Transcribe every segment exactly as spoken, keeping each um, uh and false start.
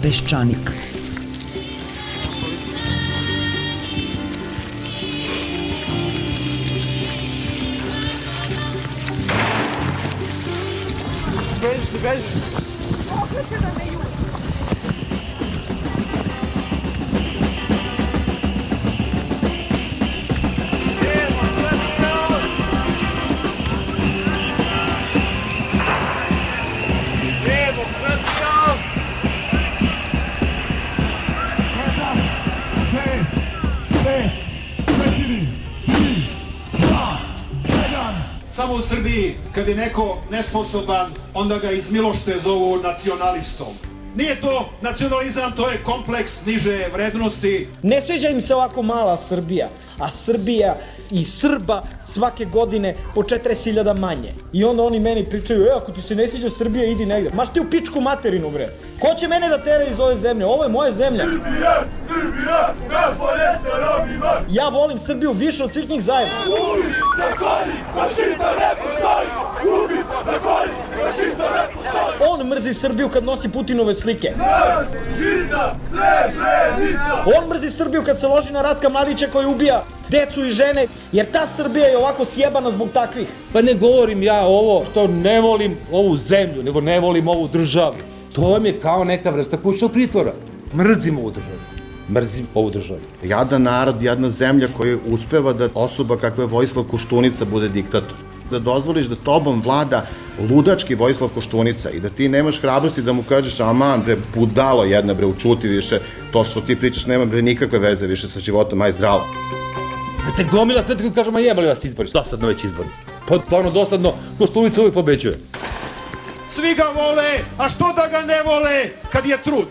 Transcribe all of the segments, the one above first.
Peščanik. Beži, beži. Okreće da me juri. Samo u Srbiji, kad je neko nesposoban, onda ga iz milošte zovu nacionalistom. Nije to nacionalizam, to je kompleks niže vrednosti. Ne sviđa im se ovako mala Srbija, a Srbija i Srba svake godine po četrdeset hiljada manje. I onda oni meni pričaju, e, ako ti se ne sviđa Srbija, idi negde. Maš ti u pičku materinu, bre. Ko će mene da tere iz ove zemlje? Ovo je moja zemlja. Srbija, Srbija, najbolje se robima. Ja volim Srbiju više od svih njih zajedno. Ubi, zakolji, fašista ne postoji. Ubi, zakolji, fašista ne postoji. On mrzi Srbiju kad nosi Putinove slike. Narod, žiza, Srebrenica. On mrzi Srbiju kad se loži na Ratka Mladića koji ubija decu i žene, jer ta Srbija je ovako sjebana zbog takvih. Pa ne govorim ja ovo što ne volim ovu zemlju, nego ne volim ovu državu. To vam je kao neka vrsta kućnog pritvora. Mrzim ovu državu. Mrzim ovu državu. Jadan narod, jedna zemlja koja uspeva da osoba kakva je Vojislav Koštunica bude diktator. Da dozvoliš da tobom vlada ludački Vojislav Koštunica i da ti nemaš hrabrosti da mu kažeš aman bre, budalo jedna bre, učuti više, to što ti pričaš nema bre nikakve veze više sa životom, aj zdravo. Da te gomila sve tako kažemo, jebali vas izbori, dosadno već izbori. Pa stvarno dosadno, Koštunica uvijek pobeđuje. Svi ga vole, a što da ga ne vole kad je trud?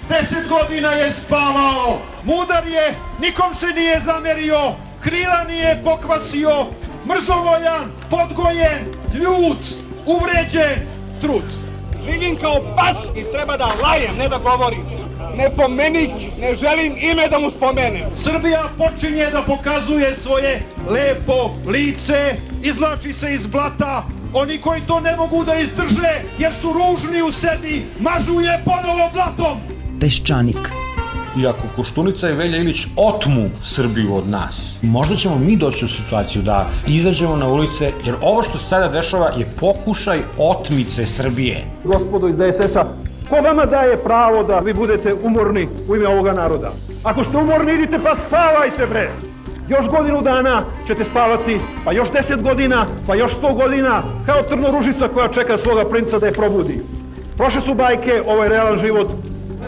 Deset godina je spavao, mudar je, nikom se nije zamerio, krila nije pokvasio, mrzovoljan, podgojen, ljut, uvređen, trud. Živim kao pas i treba da lajem, ne da govorim. Ne pomenik, ne želim ime da mu spomenem. Srbija počinje da pokazuje svoje lepo lice, izvlači se iz blata. Oni koji to ne mogu da izdrže jer su ružni u sebi, mažu je ponovo blatom. Peščanik. I ako Koštunica i Velja Ilić otmu Srbiju od nas, možda ćemo mi doći u situaciju da izađemo na ulice, jer ovo što se sada dešava je pokušaj otmice Srbije. Gospodo iz D S S-a, ko vama daje pravo da vi budete umorni u ime ovoga naroda? Ako ste umorni, idite pa spavajte, bre! Još godinu dana ćete spavati, pa još deset godina, pa još sto godina, kao trnoružica koja čeka svoga princa da je probudi. Prošle su bajke, ovo je realan život,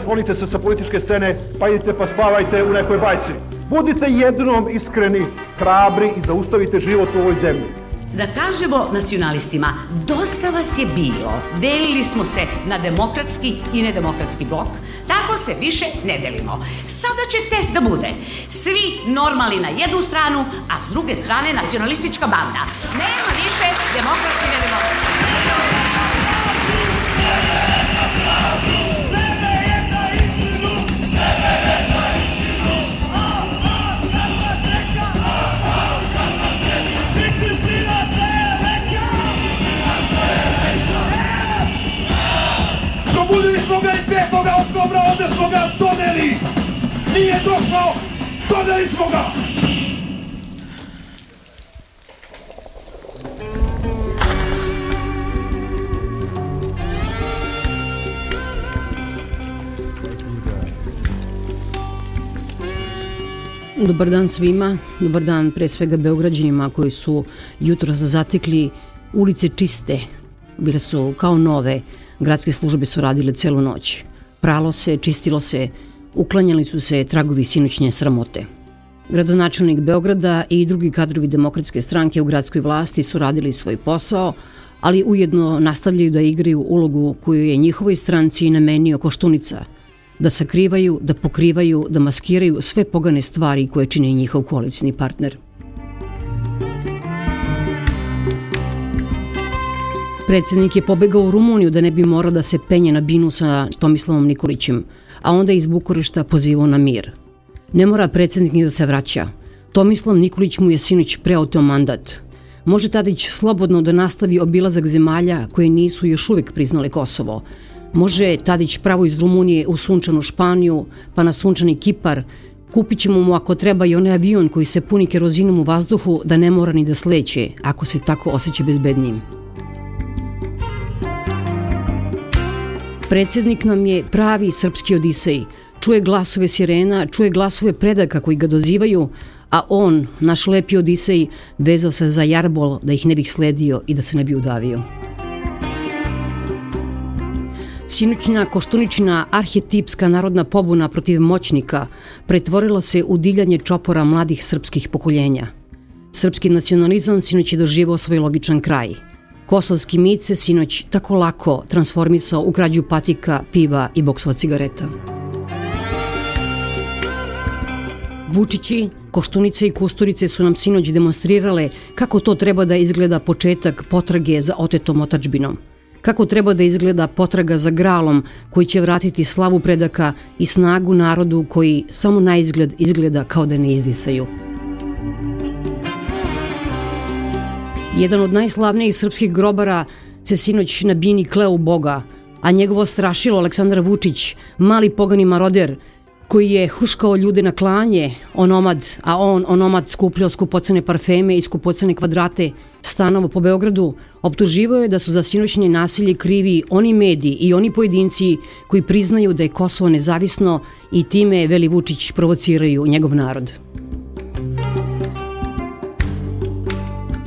sklonite se sa političke scene, pa idite pa spavajte u nekoj bajci. Budite jednom iskreni, hrabri i zaustavite život u ovoj zemlji. Da kažemo nacionalistima, dosta vas je bilo, delili smo se na demokratski i nedemokratski blok, tako se više ne delimo. Sada će test da bude, svi normalni na jednu stranu, a s druge strane nacionalistička banda. Nema više demokratski i nedemokratski. Probudili smo ga i petoga oktobra, ovde smo ga doneli. Nije došao, doneli smo ga. Dobar dan svima, dobar dan pre svega Beograđanima koji su jutro zatekli ulice čiste, bile su kao nove, gradske službe su radile celu noć. Pralo se, čistilo se, uklanjali su se tragovi sinoćnje sramote. Gradonačelnik Beograda i drugi kadrovi Demokratske stranke u gradskoj vlasti su radili svoj posao, ali ujedno nastavljaju da igraju ulogu koju je njihovoj stranci namenio Koštunica, da sakrivaju, da pokrivaju, da maskiraju sve pogane stvari koje čini njihov koalicioni partner. Predsednik je pobegao u Rumuniju da ne bi morao da se penje na binu sa Tomislavom Nikolićem, a onda iz Bukurešta pozivao na mir. Ne mora predsednik ni da se vraća. Tomislav Nikolić mu je sinoć preoteo mandat. Može Tadić slobodno da nastavi obilazak zemalja koje nisu još uvek priznale Kosovo. Može Tadić pravo iz Rumunije u sunčanu Španiju, pa na sunčani Kipar. Kupit ćemo mu ako treba i onaj avion koji se puni kerozinom u vazduhu da ne mora ni da sleće, ako se tako osjeća bezbednijim. Predsjednik nam je pravi srpski Odisej. Čuje glasove sirena, čuje glasove predaka koji ga dozivaju, a on, naš lepi Odisej, vezao se za jarbol da ih ne bih sledio i da se ne bi udavio. Sinoćna Koštuničina arhetipska narodna pobuna protiv moćnika pretvorila se u divljanje čopora mladih srpskih pokoljenja. Srpski nacionalizam sinoć je doživao svoj logičan kraj. Kosovski mit se sinoć tako lako transformisao u krađu patika, piva i boksova cigareta. Vučići, Koštunice i Kusturice su nam sinoć demonstrirale kako to treba da izgleda početak potrage za otetom otadžbinom. Kako treba da izgleda potraga za gralom koji će vratiti slavu predaka i snagu narodu koji samo na izgled izgleda kao da ne izdisaju. Jedan od najslavnijih srpskih grobara se sinoć na bini kleo u Boga, a njegovo strašilo Aleksandar Vučić, mali pogani maroder, koji je huškao ljude na klanje, onomad, a on, onomad, skupljao skupocene parfeme i skupocene kvadrate stanova po Beogradu, optuživao je da su za sinoćnje nasilje krivi oni mediji i oni pojedinci koji priznaju da je Kosovo nezavisno i time, veli Vučić, provociraju njegov narod.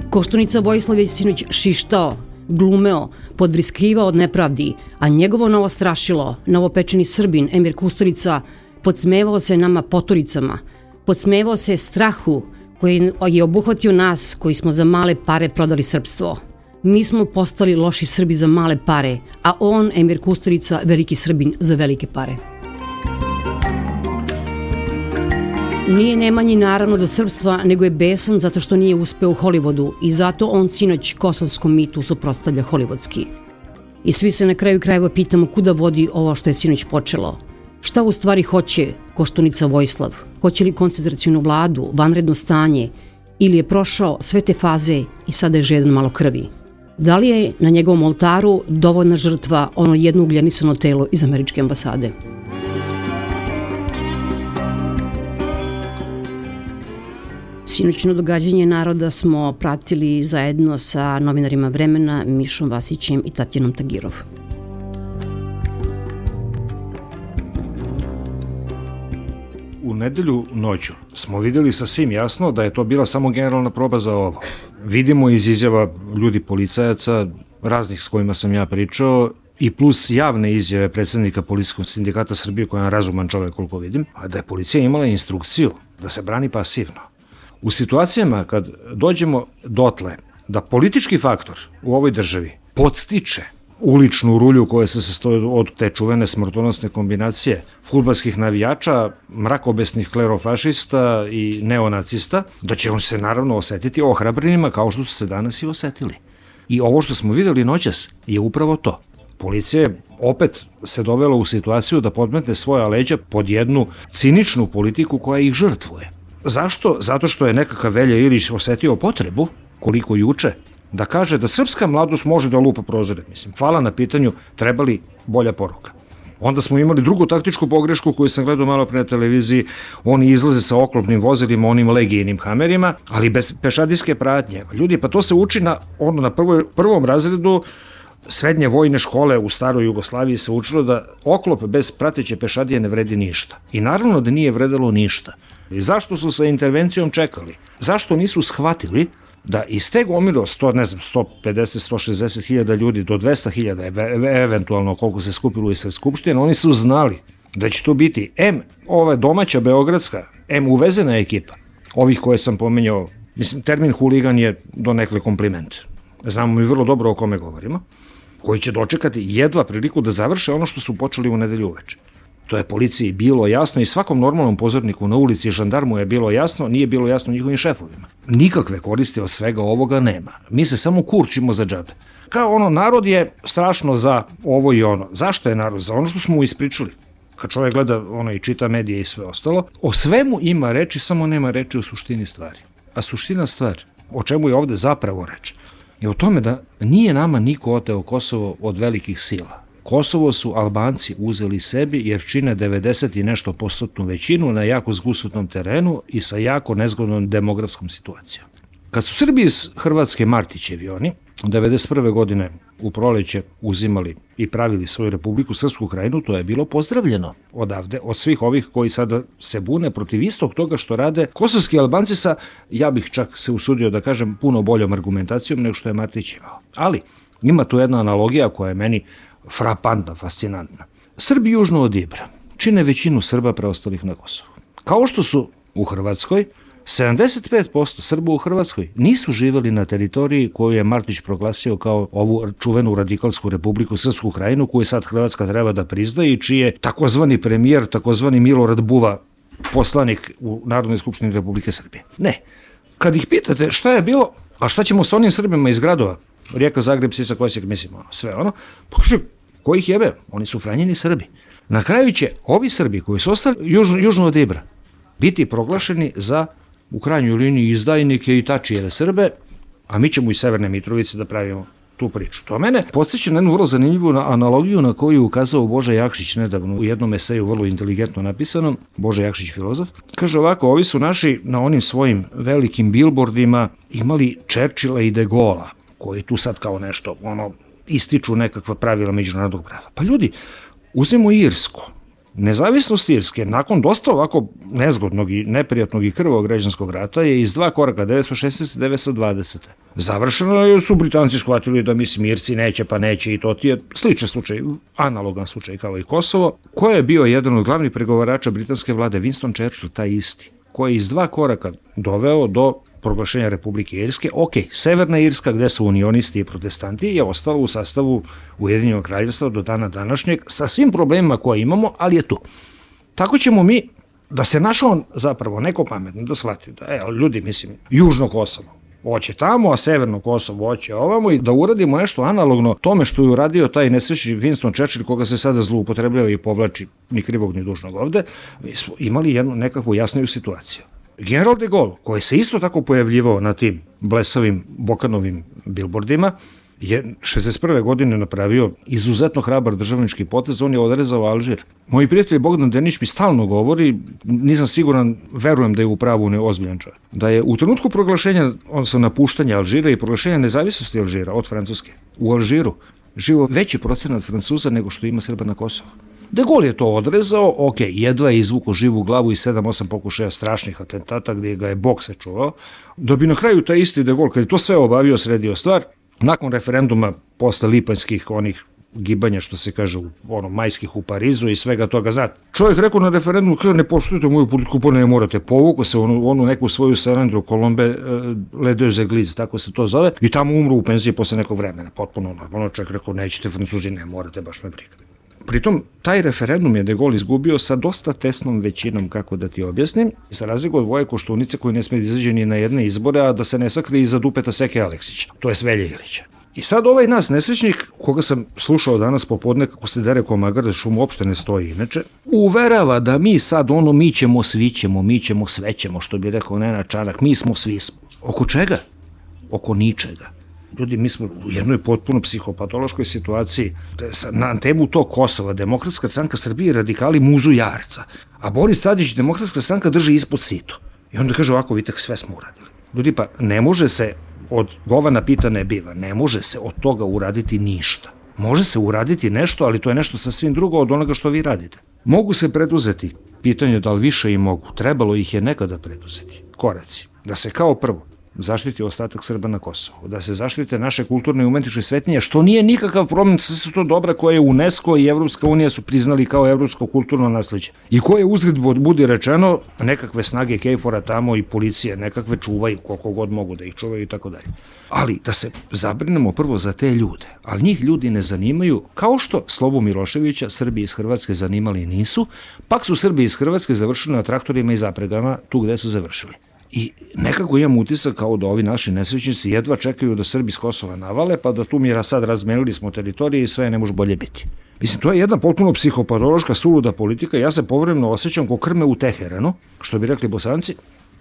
Koštunica Vojislav je sinoć šištao, glumeo, podvriskivao od nepravdi, a njegovo novo strašilo, novopečeni Srbin Emir Kusturica, podsmevao se nama poturicama, podsmevao se strahu koji je obuhvatio nas koji smo za male pare prodali srpstvo. Mi smo postali loši Srbi za male pare, a on, Emir Kusturica, veliki Srbin za velike pare. Nije Nemanji naravno do srpstva, nego je besan zato što nije uspeo u Hollywoodu i zato on sinoć kosovskom mitu suprotstavlja hollywoodski. I svi se na kraju krajeva pitamo kuda vodi ovo što je sinoć počelo. Šta u stvari hoće Koštunica Vojislav? Hoće li koncentracijnu vladu, vanredno stanje ili je prošao sve te faze i sada je žedan malo krvi? Da li je na njegovom oltaru dovoljna žrtva ono jedno ugljenisano telo iz američke ambasade? Sinoćno događanje naroda smo pratili zajedno sa novinarima Vremena, Mišom Vasićem i Tatjanom Tagirov. U nedelju noću smo videli sasvim jasno da je to bila samo generalna proba za ovo. Vidimo iz izjava ljudi policajaca, raznih s kojima sam ja pričao, i plus javne izjave predsjednika Policijskog sindikata Srbije, koja je razuman čovjek koliko vidim, a da je policija imala instrukciju da se brani pasivno. U situacijama kad dođemo dotle da politički faktor u ovoj državi podstiče uličnu rulju koja se sastoji od te čuvene smrtonosne kombinacije fudbalskih navijača, mrakobesnih klerofašista i neonacista, da će on se naravno osetiti ohrabrenima kao što su se danas i osetili. I ovo što smo videli noćas je upravo to. Policija je opet se dovela u situaciju da podmetne svoja leđa pod jednu ciničnu politiku koja ih žrtvuje. Zašto? Zato što je nekakav Velja Ilić osetio potrebu, koliko juče, da kaže da srpska mladost može da lupa prozore. Mislim, hvala na pitanju, treba li bolja poruka. Onda smo imali drugu taktičku pogrešku koju sam gledao malo pre na televiziji, oni izlaze sa oklopnim vozilima, onim legijnim hamerima, ali bez pešadijske pratnje. Ljudi, pa to se uči na, ono, na prvoj, prvom razredu srednje vojne škole u staroj Jugoslaviji se učilo da oklop bez prateće pešadije ne vredi ništa. I naravno da nije vredelo ništa. I zašto su sa intervencijom čekali? Zašto nisu shvatili da iz te gomilo sto, ne znam, sto pedeset, sto šezdeset hiljada ljudi do dvesta hiljada, eventualno koliko se skupilo i sve skupštine, oni su znali da će to biti em ova domaća beogradska, em uvezena ekipa, ovih koje sam pomenjao. Mislim, termin huligan je donekle kompliment. Znamo mi vrlo dobro o kome govorimo, koji će dočekati jedva priliku da završe ono što su počeli u nedelju uveče. To je policiji bilo jasno i svakom normalnom pozorniku na ulici žandarmu je bilo jasno, nije bilo jasno njihovim šefovima. Nikakve koristi od svega ovoga nema. Mi se samo kurčimo za džabe. Kao ono, narod je strašno za ovo i ono. Zašto je narod? Za ono što smo mu ispričali. Kad čovjek gleda ono i čita medije i sve ostalo, o svemu ima reči, samo nema reči o suštini stvari. A suština stvar, o čemu je ovde zapravo reč, je o tome da nije nama niko oteo Kosovo od velikih sila. Kosovo su Albanci uzeli sebi jer čine devedeset i nešto postotnu većinu na jako zgusutnom terenu i sa jako nezgodnom demografskom situacijom. Kad su Srbi iz Hrvatske Martićevi oni, devedeset prve godine u proleće uzimali i pravili svoju Republiku Srpsku Krajinu, to je bilo pozdravljeno odavde, od svih ovih koji sada se bune protiv istog toga što rade kosovski Albanci sa, ja bih čak se usudio da kažem, puno boljom argumentacijom nego što je Martić imao. Ali ima tu jedna analogija koja je meni frapantna, fascinantna. Srbi južno od Ibra čine većinu Srba preostalih na Kosovu. Kao što su u Hrvatskoj, sedamdeset pet posto Srba u Hrvatskoj nisu živeli na teritoriji koju je Martić proglasio kao ovu čuvenu radikalsku Republiku Srpsku Krajinu koju sad Hrvatska treba da prizna i čiji je takozvani premijer, takozvani Milorad Buva, poslanik u Narodnoj skupštini Republike Srbije. Ne. Kad ih pitate šta je bilo, a šta ćemo s onim Srbima iz gradova, Rijeka, Zagreb, Sisak, Osijek, mislim, ono, sve ono, pa kaže, ko ih jebe? Oni su Franjeni Srbi. Na kraju će ovi Srbi koji su ostali južno, južno od Ibra biti proglašeni za u krajnjoj liniji izdajnike i tačijeve Srbe, a mi ćemo iz Severne Mitrovice da pravimo tu priču. To mene podsjeća na jednu vrlo zanimljivu analogiju na koju je ukazao Boža Jakšić nedavno u jednom eseju vrlo inteligentno napisanom, Boža Jakšić filozof. Kaže ovako, ovi su naši na onim svojim velikim bilbordima imali Čerčila i De Gola, koji tu sad kao nešto ono ističu nekakva pravila međunarodnog prava. Pa ljudi, uzmimo Irsku. Nezavisnost Irske, nakon dosta ovako nezgodnog i neprijatnog i krvog građanskog rata, je iz dva koraka, devetsto šesnaeste. i devetsto dvadesete. Završeno je, su Britanci shvatili da mislim Irci neće pa neće i to ti je sličan slučaj, analogan slučaj kao i Kosovo. Ko je bio jedan od glavnih pregovarača britanske vlade? Winston Churchill, taj isti, koji je iz dva koraka doveo do proglašenja Republike Irske. Ok, Severna Irska, gde su unionisti i protestanti, je ostala u sastavu Ujedinjenog kraljevstva do dana današnjeg sa svim problemima koje imamo, ali je tu. Tako ćemo mi, da se našao zapravo neko pametno da shvati da, e, ljudi, mislim, južno Kosovo hoće tamo, a severno Kosovo hoće ovamo i da uradimo nešto analogno tome što je uradio taj nesrećni Winston Churchill, koga se sada zloupotrebljava i povlači ni krivog ni dužnog ovde, mi smo imali jednu nekakvu jasniju situaciju. General de Gaulle, koji se isto tako pojavljivao na tim blesavim Bokanovim bilbordima, je šezdeset prve godine napravio izuzetno hrabar državnički potez, on je odrezao Alžir. Moji prijatelji Bogdan Denić mi stalno govori, nisam siguran, verujem da je u pravu neozbiljan čovjek, da je u trenutku proglašenja, odnosno napuštanja Alžira i proglašenja nezavisnosti Alžira od Francuske, u Alžiru živo veći procenat Francuza nego što ima Srba na Kosovu. De Gaulle je to odrezao, ok, jedva je izvuko živu glavu i sedam osam pokušaja strašnih atentata gdje ga je Bog sačuvao, da bi na kraju taj isti De Gaulle, kad je to sve obavio, sredio stvar, nakon referenduma posle lipanjskih onih gibanja, što se kaže, ono, majskih u Parizu i svega toga, znate, čovjek rekao na referendumu, kada ne poštujete moju politiku, pa ne morate, povuku se onu, onu neku svoju Salendru, Colombe, uh, Le Deux Églises, tako se to zove, i tamo umru u penziji posle nekog vremena, potpuno normalno, čovjek rekao, nećete Francuzi, ne morate, baš me briga. Pritom, taj referendum je De Gaulle izgubio sa dosta tesnom većinom, kako da ti objasnim, za razliku od Voje Koštunice koji ne sme da izađe ni na jedne izbore, a da se ne sakri iza dupeta Seke Aleksića, to je Velje Ilića. I sad ovaj nas nesrećnik, koga sam slušao danas popodne kako se dere ko magar, što mu uopšte ne stoji inače, uverava da mi sad ono, mi ćemo, svi ćemo, mi ćemo, sve ćemo, što bi rekao Nenad Čanak, mi smo, svi smo. Oko čega? Oko ničega. Ljudi, mi smo u jednoj potpuno psihopatološkoj situaciji. Na temu tog Kosova, Demokratska stranka Srbije i radikali muzu jarca, a Boris Tadić, Demokratska stranka, drži ispod sito. I onda kaže ovako, vidite, sve smo uradili. Ljudi, pa ne može se od govana pita ne biva, ne može se od toga uraditi ništa. Može se uraditi nešto, ali to je nešto sasvim drugo od onoga što vi radite. Mogu se preduzeti, pitanje da li više i mogu, trebalo ih je nekada preduzeti, koraci, da se kao prvo zaštiti ostatak Srba na Kosovu, da se zaštite naše kulturne i umetničke svetinje, što nije nikakav problem, sve su to dobra koje UNESCO i Evropska unija su priznali kao evropsko kulturno nasleđe i koje uzgled budi rečeno nekakve snage Kejfora tamo i policije nekakve čuvaju koliko god mogu da ih čuvaju i tako dalje. Ali da se zabrinemo prvo za te ljude, ali njih ljudi ne zanimaju, kao što Slobu Miloševića Srbi iz Hrvatske zanimali nisu, pak su Srbi iz Hrvatske završili na traktorima i zapregama tu gde su završili. I nekako imam utisak kao da ovi naši nesrećnici jedva čekaju da Srbi s Kosova navale, pa da tu mi sad razmenili smo teritorije i sve ne može bolje biti. Mislim, to je jedna potpuno psihopatološka suluda politika. Ja se povremeno osjećam ko krme u Teheranu, što bi rekli Bosanci,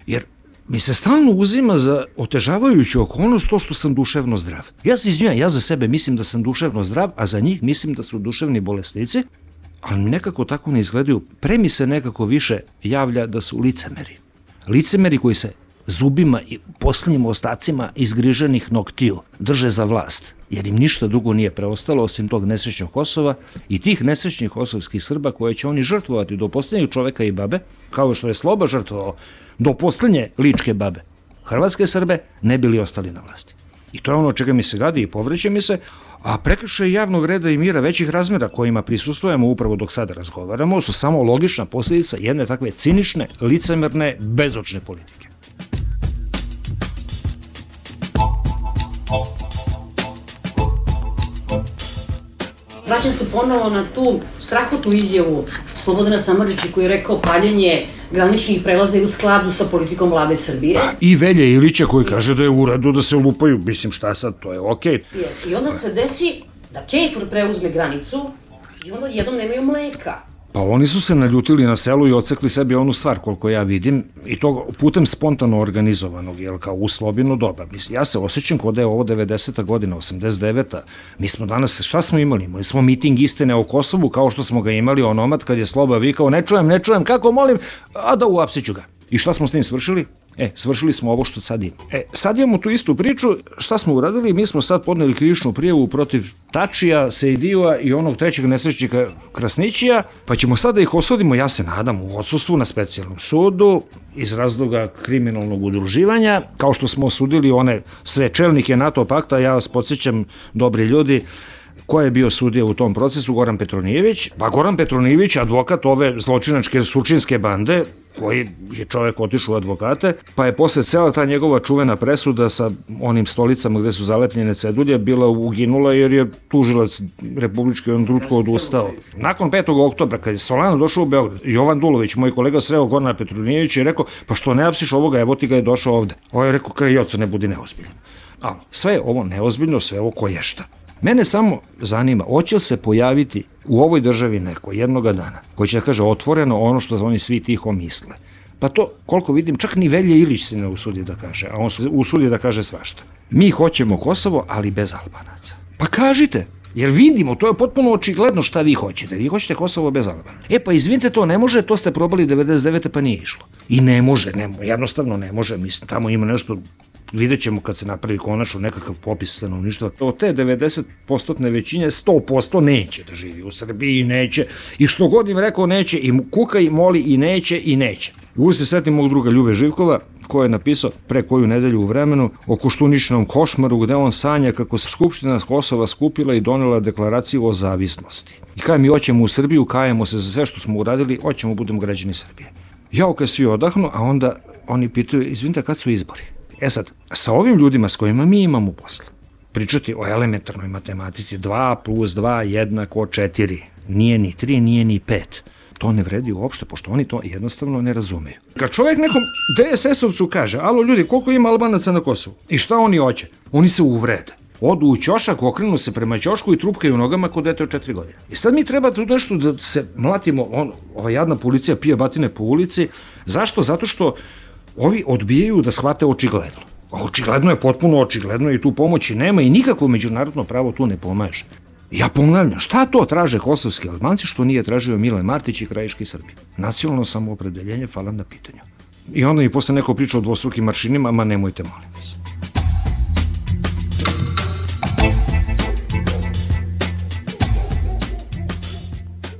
jer mi se stalno uzima za otežavajuću okolnost to što sam duševno zdrav. Ja se izvinjam, ja za sebe mislim da sam duševno zdrav, a za njih mislim da su duševni bolesnici, ali mi nekako tako ne izgledaju. Pre mi se nekako više javlja da su licemeri. Licemeri koji se zubima i posljednjim ostacima izgriženih noktiju drže za vlast, jer im ništa drugo nije preostalo osim tog nesrećnog Kosova i tih nesrećnih kosovskih Srba koje će oni žrtvovati do posljednjeg čoveka i babe, kao što je Sloba žrtvovao do posljednje ličke babe. Hrvatske Srbe ne bili ostali na vlasti. I to je ono čega mi se gadi i povreće mi se, a prekršaj javnog reda i mira većih razmjera kojima prisustujemo upravo dok sada razgovaramo su samo logična posljedica jedne takve cinične, licemerne, bezočne politike. Vraćam se ponovo na tu strahotnu izjavu Slobodana Samardžića koji je rekao paljenje graničnih prelaza je u skladu sa politikom vlade Srbije. Pa, i Velje Ilića koji kaže da je u redu da se lupaju, mislim šta sad, to je okej. Yes. I onda se desi da Kejfor preuzme granicu i onda jednom nemaju mleka. Pa oni su se naljutili na selu i odsekli sebi onu stvar, koliko ja vidim, i to putem spontano organizovanog, jel, kao u slobino doba. Mislim, ja se osjećam kod da je ovo devedeseta godina, osamdeset deveta Mi smo danas, šta smo imali? Imali smo miting istine o Kosovu, kao što smo ga imali onomad kad je Sloba vikao, ne čujem, ne čujem, kako molim, a da uapsiću ga. I šta smo s tim svršili? E, svršili smo ovo što sad imamo. E, sad imamo tu istu priču, šta smo uradili? Mi smo sad podneli krivičnu prijavu protiv Tačija, Sejdijua i onog trećeg nesrećnika Krasnićija, pa ćemo sad da ih osudimo, ja se nadam, u odsustvu na specijalnom sudu, iz razloga kriminalnog udruživanja, kao što smo osudili one sve čelnike NATO pakta, ja vas podsjećam, dobri ljudi, ko je bio sudija u tom procesu? Goran Petronijević. Pa Goran Petronijević, advokat ove zločinačke sučinske bande, koji je čovjek otišao u advokate, pa je posle cela ta njegova čuvena presuda sa onim stolicama gde su zalepljene cedulje bila uginula jer je tužilac republički on trutko odustao. Nakon petog oktobra, kad je Solana došao u Beograd, Jovan Dulović, moj kolega, sreo Gorana Petronijevića i rekao, pa što ne apsiš ovoga, evo ti ga je došao ovde. Ovo je rekao, kaj joco, ne budi neozbiljan. Ali sve je ovo neozbiljno, sve ovo koješta. Mene samo zanima, hoće li se pojaviti u ovoj državi neko jednoga dana koji će da kaže otvoreno ono što oni svi tiho misle. Pa to, koliko vidim, čak ni Velje Ilić se ne usudi da kaže, a on se usudi da kaže svašta. Mi hoćemo Kosovo, ali bez Albanaca. Pa kažite, jer vidimo, to je potpuno očigledno šta vi hoćete. Vi hoćete Kosovo bez Albanaca. E pa izvinite, to ne može, to ste probali devedeset devete pa nije išlo. I ne može, ne, jednostavno ne može, mislim, tamo ima nešto. Vidjet ćemo kad se napravi konačno nekakav popis stanovništva. Od te devedeset posto većine, sto posto neće da živi u Srbiji i neće. I što god im rekao neće, i kuka i moli i neće i neće. Uvijek se setim mog druga Ljube Živkova, koji je napisao pre koju nedelju u Vremenu o Koštuničinom košmaru, gde on sanja kako se Skupština Kosova skupila i donela deklaraciju o zavisnosti. I kada mi hoćemo u Srbiju, kajemo se za sve što smo uradili, hoćemo budemo građani Srbije. Ja kad svi odahnu, a onda oni pitaju, izvinite, kad su izbori? E sad, sa ovim ljudima s kojima mi imamo posla, pričati o elementarnoj matematici dva plus dva jednako četiri, nije ni tri, nije ni pet, to ne vredi uopšte, pošto oni to jednostavno ne razumeju. Kad čovjek nekom de es es-ovcu kaže, alo ljudi, koliko ima Albanaca na Kosovu? I šta oni hoće? Oni se uvrede. Odu u ćošak, okrenu se prema ćošku i trupkaju nogama kod dete od četiri godine. I sad mi treba tu nešto da se mlatimo, on, ova jadna policija pije batine po ulici. Zašto? Zato što ovi odbijaju da shvate očigledno. Očigledno je, potpuno očigledno i tu pomoći nema i nikakvo međunarodno pravo tu ne pomaže. Ja ponavljam, šta to traže kosovski Albanci što nije tražio Milan Martić i krajiški Srbi? Nacionalno samoopredeljenje, hvala na pitanju. I onda mi posle neko priča o dvostrukim maršinima, ma nemojte, molim vas.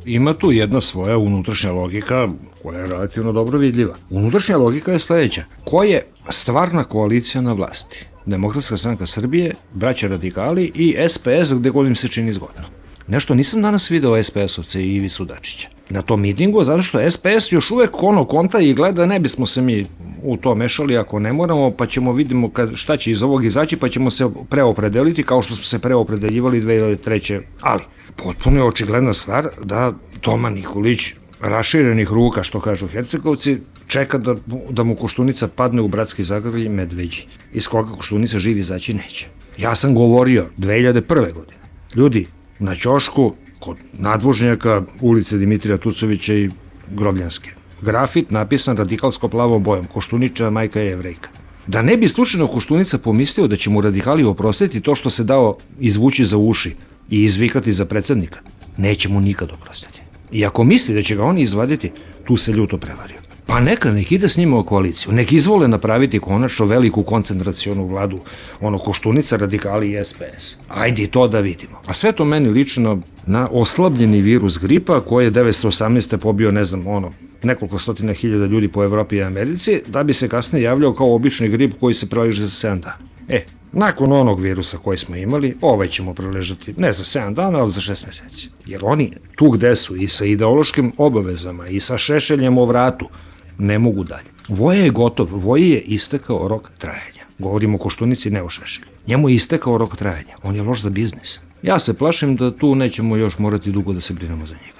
Ima tu jedna svoja unutrašnja logika koja je relativno dobro vidljiva. Unutrašnja logika je sledeća. Ko je stvarna koalicija na vlasti? Demokratska stranka Srbije, braća radikali i es pe es gde god im se čini zgodno. Nešto nisam danas video es pe es-ovce i Ivicu Dačića na tom mitingu, zato što es pe es još uvek ono konta i gleda, ne bismo se mi u to mešali ako ne moramo, pa ćemo vidimo kad, šta će iz ovog izaći, pa ćemo se preopredeliti kao što smo se preopredeljivali dve hiljade treće. Ali, potpuno je očigledna stvar da Toma Nikolić raširenih ruka, što kažu Hercegovci, čeka da, da mu Koštunica padne u bratski zagrlj medveđi, iz koga Koštunica živi izaći neće. Ja sam govorio dve hiljade prve godine. Ljudi, na ćošku, kod nadvožnjaka, ulice Dimitrija Tucovića i Grobljanske. grafit napisan radikalsko plavom bojom, Koštuničeva majka je Jevrejka. Da ne bi slučajno Koštunica pomislio da će mu radikali oprostiti to što se dao izvući za uši i izvikati za predsednika, neće mu nikad oprostiti. I ako misli da će ga oni izvaditi, tu se ljuto prevario. Pa neka, nek ide s njima u koaliciju, nek izvole napraviti konačno veliku koncentracionu vladu, ono Koštunica, radikali i S P S. Ajde to da vidimo. A sve to meni lično na oslabljeni virus gripa koji je devetsto osamnaeste pobio, ne znam, ono, nekoliko stotina hiljada ljudi po Evropi i Americi, da bi se kasnije javljao kao obični grip koji se preleže za sedam dana. E, nakon onog virusa koji smo imali, ovaj ćemo preležati ne za sedam dana, ali za šest meseci. Jer oni tu gde su i sa ideološkim obavezama i sa šešeljem o vratu, ne mogu dalje. Voje je gotov, Voje je istekao rok trajanja. Govorimo o Koštunici, ne o Šešelju. Njemu je istekao rok trajanja, on je loš za biznis. Ja se plašim da tu nećemo još morati dugo da se brinemo za njega.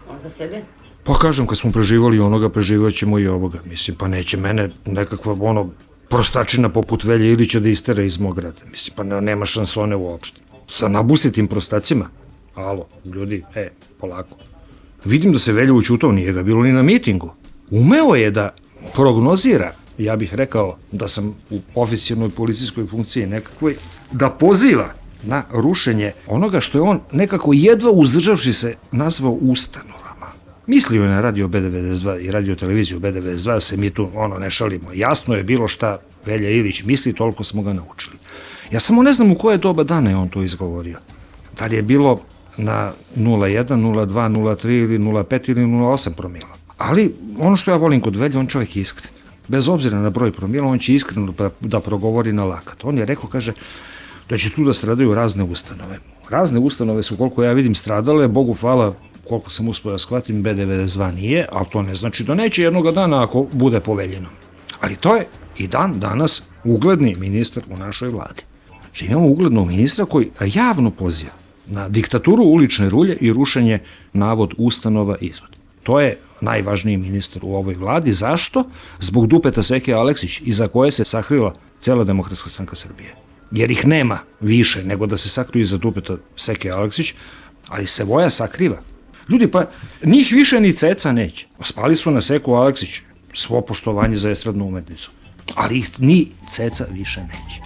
On za sebe? Pa kažem, kad smo preživali onoga, preživat ćemo i ovoga. Mislim, pa neće mene nekakva ono prostačina poput Velje Ilića da istera iz mog grada. Mislim, pa nema šansone uopšte. Sa nabusitim prostacima? Alo, ljudi, e, polako. Vidim da se Velja učutao, nije ga bilo ni na mitingu. Umeo je da prognozira, ja bih rekao da sam u oficijalnoj policijskoj funkciji nekakvoj, da poziva na rušenje onoga što je on nekako jedva uzdržavši se nazvao ustanovama. Mislio je na radio B devedeset dva i radio televiziju B devedeset dva, se mi tu ono ne šalimo. Jasno je bilo šta Velja Ilić misli, toliko smo ga naučili. Ja samo ne znam u koje doba dana je on to izgovorio. Da li je bilo na nula jedan, nula dva, nula tri ili nula pet ili nula osam promila. Ali ono što ja volim kod Velje, on čovjek je iskren. Bez obzira na broj promila, on će iskreno da progovori na lakat. On je rekao, kaže, da će tu da stradaju razne ustanove. Razne ustanove su, koliko ja vidim, stradale, Bogu hvala, koliko sam uspio da shvatim, B devedeset dva nije, ali to ne znači da neće jednoga dana ako bude poveljeno. Ali to je i dan danas ugledni ministar u našoj vladi. Znači imamo uglednog ministra koji javno poziva na diktaturu ulične rulje i rušenje navod ustanova izvod. To je najvažniji ministar u ovoj vladi. Zašto? Zbog dupeta Seke Aleksić, iza koje se sakrila cela Demokratska stranka Srbije. Jer ih nema više nego da se sakriju iza dupeta Seke Aleksić, ali se Voja sakriva. Ljudi, pa njih više ni ceca neće. Spali su na Seku Aleksić, svo poštovanje za estradnu umetnicu, ali ih ni ceca više neće.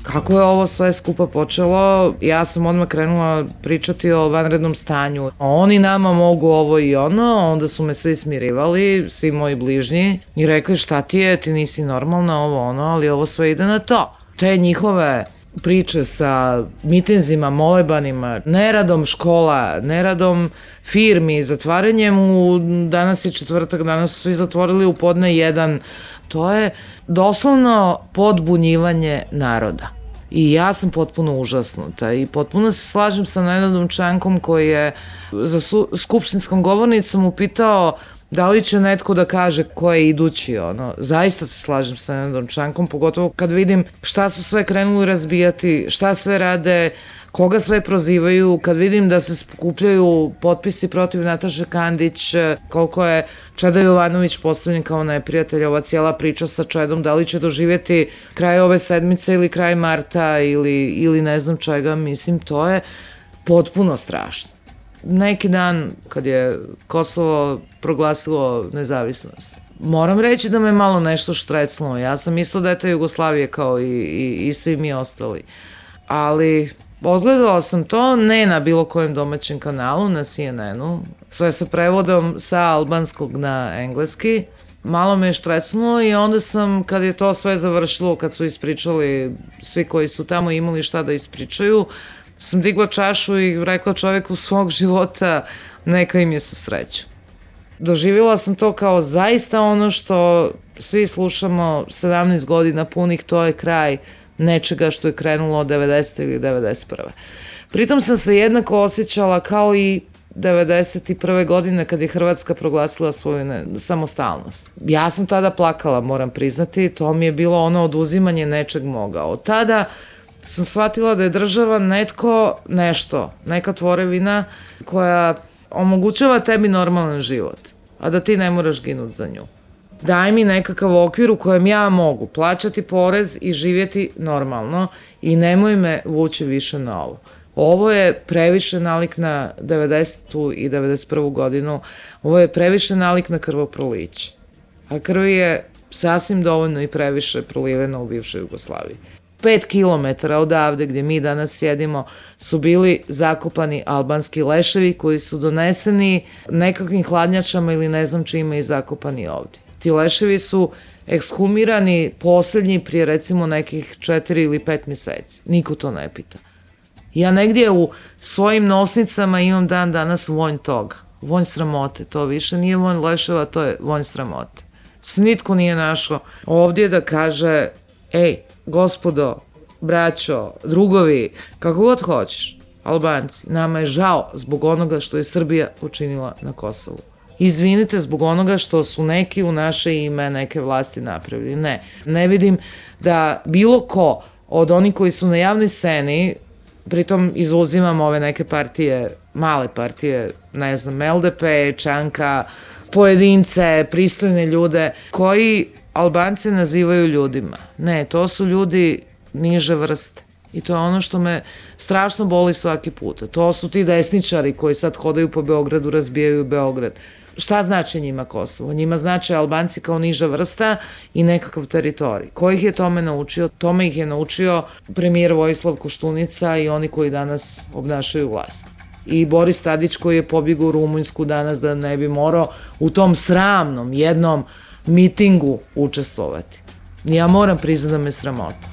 Kako je ovo sve skupa počelo, ja sam odmah krenula pričati o vanrednom stanju. Oni nama mogu ovo i ono, onda su me svi smirivali, svi moji bližnji, i rekli šta ti je, ti nisi normalna, ovo ono, ali ovo sve ide na to. Te njihove priče sa mitinzima, molebanima, neradom škola, neradom firmi, zatvaranjem u, danas je četvrtak, danas su svi zatvorili u podne jedan, to je doslovno podbunjivanje naroda. I ja sam potpuno užasnuta i potpuno se slažem sa Nenadom Čankom koji je za skupštinskom govornicom upitao da li će netko da kaže ko je idući, ono. Zaista se slažem sa Nenadom Čankom, pogotovo kad vidim šta su sve krenuli razbijati, šta sve rade, koga sve prozivaju, kad vidim da se skupljaju potpisi protiv Nataše Kandić, koliko je Čeda Jovanović postavljen kao neprijatelj, ova cijela priča sa Čedom, da li će doživjeti kraj ove sedmice ili kraj marta ili, ili ne znam čega, mislim, to je potpuno strašno. Neki dan, kad je Kosovo proglasilo nezavisnost, moram reći da me malo nešto štrecnulo. Ja sam isto dete Jugoslavije kao i, i, i svi mi ostali. Ali odgledala sam to ne na bilo kojem domaćem kanalu, na C N N-u, sve sa prevodom sa albanskog na engleski. Malo me je štrecnulo i onda sam, kad je to sve završilo, kad su ispričali svi koji su tamo imali šta da ispričaju, sam digla čašu i rekla čoveku svog života neka im je sa sreću. Doživjela sam to kao zaista ono što svi slušamo sedamnaest godina punih, to je kraj nečega što je krenulo od devedesete ili devedeset prve. Pritom sam se jednako osjećala kao i devedeset prve godine kad je Hrvatska proglasila svoju ne, samostalnost. Ja sam tada plakala, moram priznati, to mi je bilo ono oduzimanje nečeg moga. Od tada sam shvatila da je država netko, nešto, neka tvorevina koja omogućava tebi normalan život, a da ti ne moraš ginuti za nju. Daj mi nekakav okvir u kojem ja mogu plaćati porez i živjeti normalno i nemoj me vući više na ovo. Ovo je previše nalik na devedesetu i devedeset prvu godinu, ovo je previše nalik na krvoproliće. A krvi je sasvim dovoljno i previše proliveno u bivšoj Jugoslaviji. Pet kilometara odavde gdje mi danas sjedimo su bili zakopani albanski leševi koji su doneseni nekakvim hladnjačama ili ne znam čime i zakopani ovdje. Ti leševi su ekshumirani posljednji prije recimo nekih četiri ili pet mjeseci. Niko to ne pita. Ja negdje u svojim nosnicama imam dan danas vonj toga. Vonj sramote. To više nije vonj leševa, to je vonj sramote. Nitko nije našao ovdje da kaže, ej, gospodo, braćo, drugovi, kako god hoćeš, Albanci, nama je žao zbog onoga što je Srbija učinila na Kosovu. Izvinite zbog onoga što su neki u naše ime neke vlasti napravili. Ne, ne vidim da bilo ko od onih koji su na javnoj sceni, pritom izuzimam ove neke partije, male partije, ne znam, L D P, Čanka, pojedince, pristojne ljude, koji Albance nazivaju ljudima. Ne, to su ljudi niže vrste. I to je ono što me strašno boli svaki put. To su ti desničari koji sad hodaju po Beogradu, razbijaju Beograd. Šta znači njima Kosovo? Njima znači Albanci kao niža vrsta i nekakav teritorij. Ko ih je tome naučio? Tome ih je naučio premijer Vojislav Koštunica i oni koji danas obnašaju vlast. I Boris Tadić koji je pobjegao u Rumunjsku danas da ne bi morao u tom sramnom jednom mitingu učestvovati. Ja moram priznati da me sramota.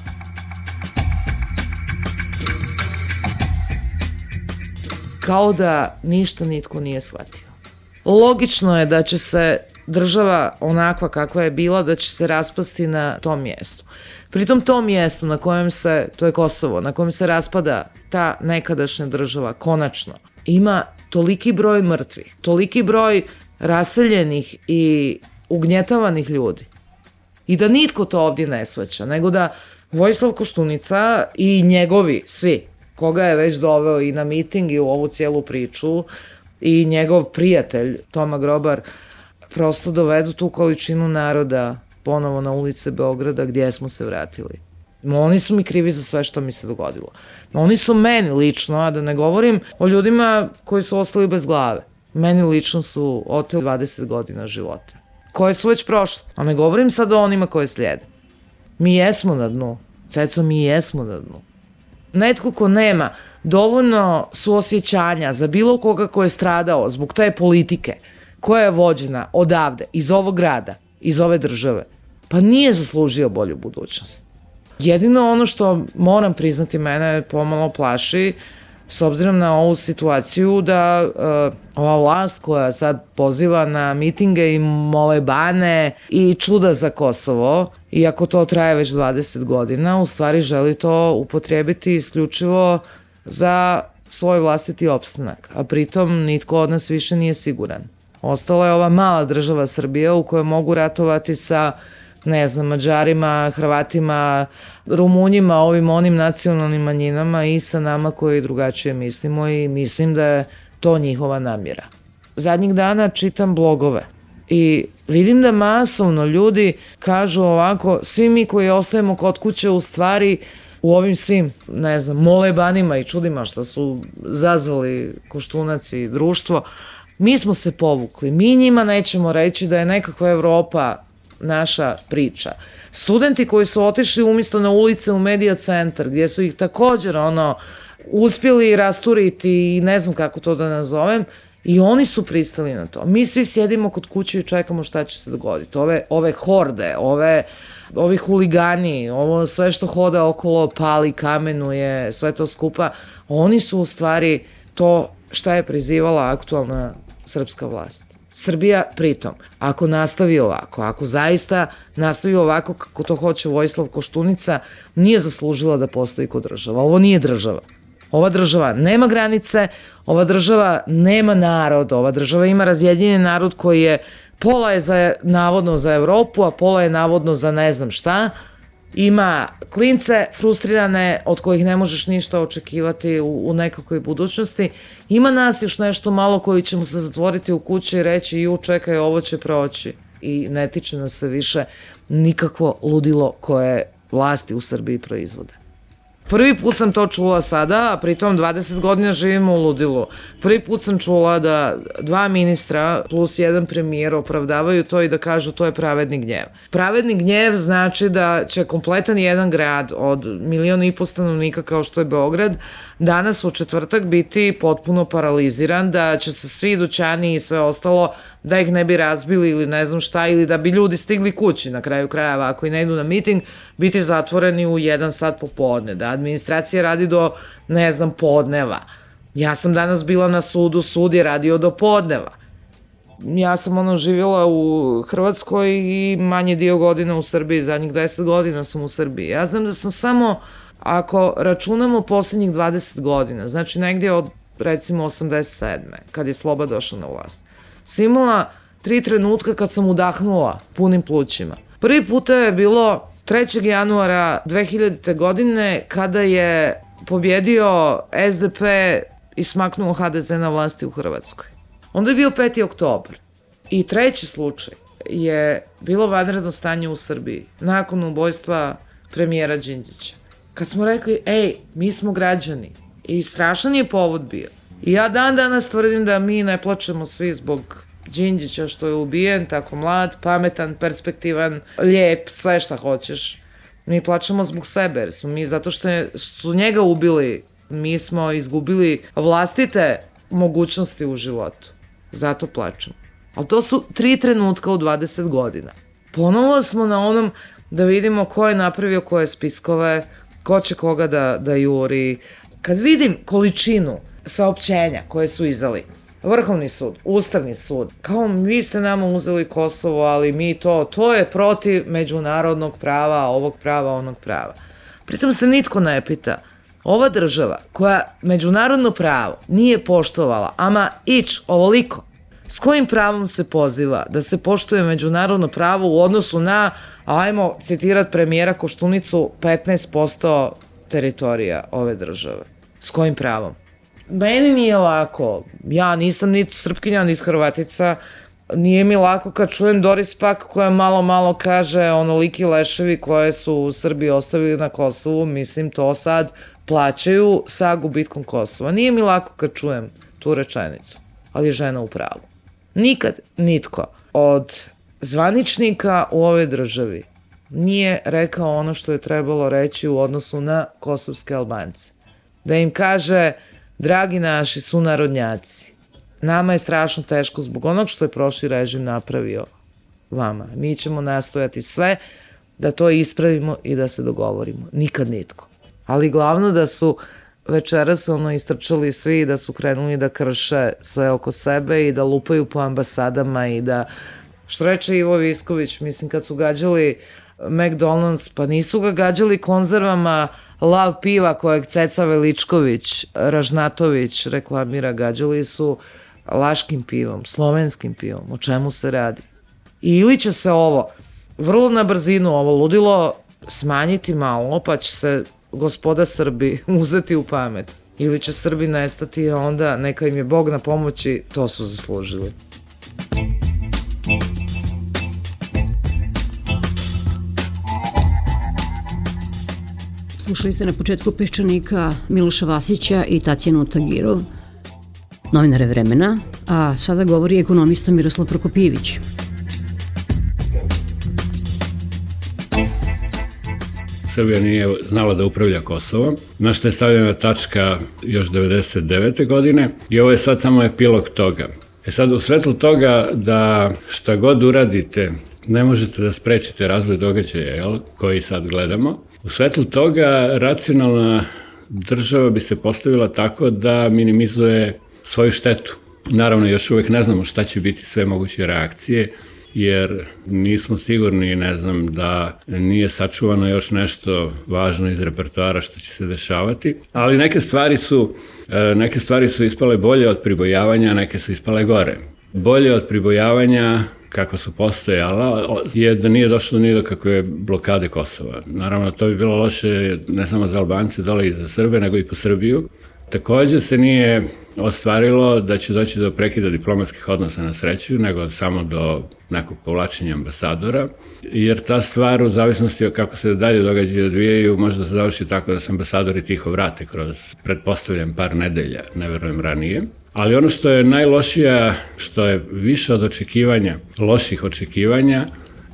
Kao da ništa nitko nije shvatio. Logično je da će se država onakva kakva je bila, da će se raspasti na tom mjestu. Pritom tom mjestu na kojem se, to je Kosovo, na kojem se raspada ta nekadašnja država, konačno, ima toliki broj mrtvih, toliki broj raseljenih i ugnjetavanih ljudi. I da nitko to ovdje ne shvaća, nego da Vojislav Koštunica i njegovi, svi, koga je već doveo i na miting i u ovu cijelu priču, i njegov prijatelj Toma Grobar, prosto dovedu tu količinu naroda ponovo na ulice Beograda gdje smo se vratili. Oni su mi krivi za sve što mi se dogodilo. Oni su meni lično, a da ne govorim o ljudima koji su ostali bez glave. Meni lično su oteli dvadeset godina života, koje su već prošle. A ne govorim sad o onima koje slijede. Mi jesmo na dnu. Ceco, mi jesmo na dnu. Netko ko nema dovoljno suosjećanja za bilo koga ko je stradao zbog te politike koja je vođena odavde, iz ovog grada, iz ove države, pa nije zaslužio bolju budućnost. Jedino ono što moram priznati mene pomalo plaši, s obzirom na ovu situaciju da uh, ova vlast koja sad poziva na mitinge i molebane i čuda za Kosovo, iako to traje već dvadeset godina, u stvari želi to upotrijebiti isključivo za svoj vlastiti opstanak, a pritom nitko od nas više nije siguran. Ostala je ova mala država Srbija u kojoj mogu ratovati sa, ne znam, Mađarima, Hrvatima, Rumunjima, ovim onim nacionalnim manjinama i sa nama koji drugačije mislimo i mislim da je to njihova namjera. Zadnjih dana čitam blogove i vidim da masovno ljudi kažu ovako, svi mi koji ostajemo kod kuće u stvari u ovim svim, ne znam, molebanima i čudima što su zazvali Koštunac i društvo, mi smo se povukli, mi njima nećemo reći da je nekakva Evropa naša priča. Studenti koji su otišli umjesto na ulice u Medija centar, gdje su ih također ono uspjeli rasturiti i ne znam kako to da nazovem, i oni su pristali na to. Mi svi sjedimo kod kuće i čekamo šta će se dogoditi. Ove, ove horde, ove, ovi huligani, ovo sve što hoda okolo, pali, kamenuje, sve to skupa, oni su u stvari to šta je prizivala aktualna srpska vlast. Srbija pritom, ako nastavi ovako, ako zaista nastavi ovako kako to hoće Vojislav Koštunica, nije zaslužila da postoji kao država. Ovo nije država. Ova država nema granice, ova država nema narod, ova država ima razjedinjen narod koji je, pola je za, navodno za Evropu, a pola je navodno za ne znam šta. Ima klince frustrirane od kojih ne možeš ništa očekivati u, u nekakvoj budućnosti. Ima nas još nešto malo koji ćemo se zatvoriti u kući i reći ju čekaj, ovo će proći. I ne tiče nas se više nikakvo ludilo koje vlasti u Srbiji proizvode. Prvi put sam to čula sada, a pritom dvadeset godina živimo u ludilu. Prvi put sam čula da dva ministra plus jedan premijer opravdavaju to i da kažu to je pravedni gnjev. Pravedni gnjev znači da će kompletan jedan grad od miliona i po stanovnika kao što je Beograd danas u četvrtak biti potpuno paraliziran, da će se svi dućani i sve ostalo, da ih ne bi razbili ili ne znam šta, ili da bi ljudi stigli kući na kraju krajeva ako i ne idu na miting, biti zatvoreni u jedan sat popodne, da administracija radi do, ne znam, podneva. Ja sam danas bila na sudu, sud je radio do podneva. Ja sam ono živjela u Hrvatskoj i manje dio godina u Srbiji, zadnjih deset godina sam u Srbiji. Ja znam da sam samo, ako računamo poslednjih dvadeset godina, znači negdje od recimo osamdeset sedme kad je Sloba došla na vlast, sam imala tri trenutka kad sam udahnula punim plućima. Prvi puta je bilo trećeg januara dve hiljadite. godine kada je pobjedio es de pe i smaknuo ha de ze na vlasti u Hrvatskoj. Onda je bio peti oktobar. I treći slučaj je bilo vanredno stanje u Srbiji nakon ubojstva premijera Đinđića. Kad smo rekli, ej, mi smo građani. I strašan je povod bio. I ja dan danas tvrdim da mi ne plačemo svi zbog Đinđića što je ubijen, tako mlad, pametan, perspektivan, lijep, sve šta hoćeš. Mi plačemo zbog sebe, jer smo mi zato što su njega ubili, mi smo izgubili vlastite mogućnosti u životu. Zato plačemo. Ali to su tri trenutka u dvadeset godina. Ponovo smo na onom da vidimo ko je napravio koje spiskove, ko će koga da, da juri. Kad vidim količinu saopćenja koje su izdali, Vrhovni sud, Ustavni sud, kao vi ste nama uzeli Kosovo, ali mi to, to je protiv međunarodnog prava, ovog prava, onog prava. Pritom se nitko ne pita, ova država koja međunarodno pravo nije poštovala, ama ić ovoliko, s kojim pravom se poziva da se poštuje međunarodno pravo u odnosu na, ajmo citirat premijera Koštunicu, petnaest posto teritorija ove države. S kojim pravom? Meni nije lako, ja nisam niti Srpkinja, niti Hrvatica, nije mi lako kad čujem Doris Pak koja malo malo kaže onoliki leševi koje su u Srbiji ostavili na Kosovu, mislim to sad plaćaju sa gubitkom Kosova. Nije mi lako kad čujem tu rečenicu, ali je žena u pravu. Nikad nitko od zvaničnika u ovoj državi nije rekao ono što je trebalo reći u odnosu na kosovske Albance. Da im kaže, dragi naši sunarodnjaci, nama je strašno teško zbog onog što je prošli režim napravio vama. Mi ćemo nastojati sve da to ispravimo i da se dogovorimo. Nikad nitko. Ali glavno da su večeras ono istrčali svi i da su krenuli da krše sve oko sebe i da lupaju po ambasadama i da, što reče Ivo Visković, mislim kad su gađali McDonald's, pa nisu ga gađali konzervama Lav piva kojeg Ceca Veličković, Ražnatović reklamira, gađali su laškim pivom, slovenskim pivom. O čemu se radi? Ili će se ovo, vrlo na brzinu, ovo ludilo smanjiti malo, pa će se gospoda Srbi uzeti u pamet. Ili će Srbi nestati, a onda neka im je Bog na pomoći, to su zaslužili. Slušali ste na početku Peščanika Miloša Vasića i Tatjanu Tagirov, novinare Vremena, a sada govori ekonomista Miroslav Prokopijević. Srbija nije znala da upravlja Kosovom, na što je stavljena tačka još devedeset devete. godine i ovo je sad samo epilog toga. E sad, u svetlu toga da šta god uradite, ne možete da sprečite razvoj događaja, jel, koji sad gledamo, u svetlu toga racionalna država bi se postavila tako da minimizuje svoju štetu. Naravno, još uvek ne znamo šta će biti sve moguće reakcije, jer nismo sigurni, ne znam, da nije sačuvano još nešto važno iz repertoara što će se dešavati, ali neke stvari su, neke stvari su ispale bolje od pribojavanja, neke su ispale gore. Bolje od pribojavanja, kako su postojala, je da nije došlo ni do kakve blokade Kosova. Naravno, to bi bilo loše ne samo za Albance dole i za Srbe, nego i po Srbiju. Takođe se nije ostvarilo da će doći do prekida diplomatskih odnosa na sreću, nego samo do nekog povlačenja ambasadora, jer ta stvar u zavisnosti od kako se dalje događaju i odvijaju može da se završi tako da se ambasadori tiho vrate kroz, pretpostavljam, par nedelja, ne verujem ranije. Ali ono što je najlošija, što je više od očekivanja, loših očekivanja,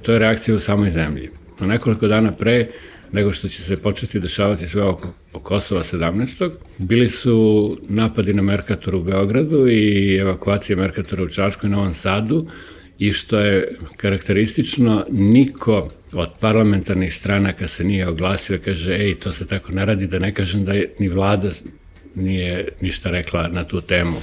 to je reakcija u samoj zemlji. Na nekoliko dana pre nego što će se početi dešavati sve oko Kosova sedamnaestog bili su napadi na Merkator u Beogradu i evakuacija Merkatora u Čačku i Novom Sadu, i što je karakteristično, niko od parlamentarnih stranaka se nije oglasio i kaže, ej, to se tako ne radi, da ne kažem da je, ni vlada nije ništa rekla na tu temu.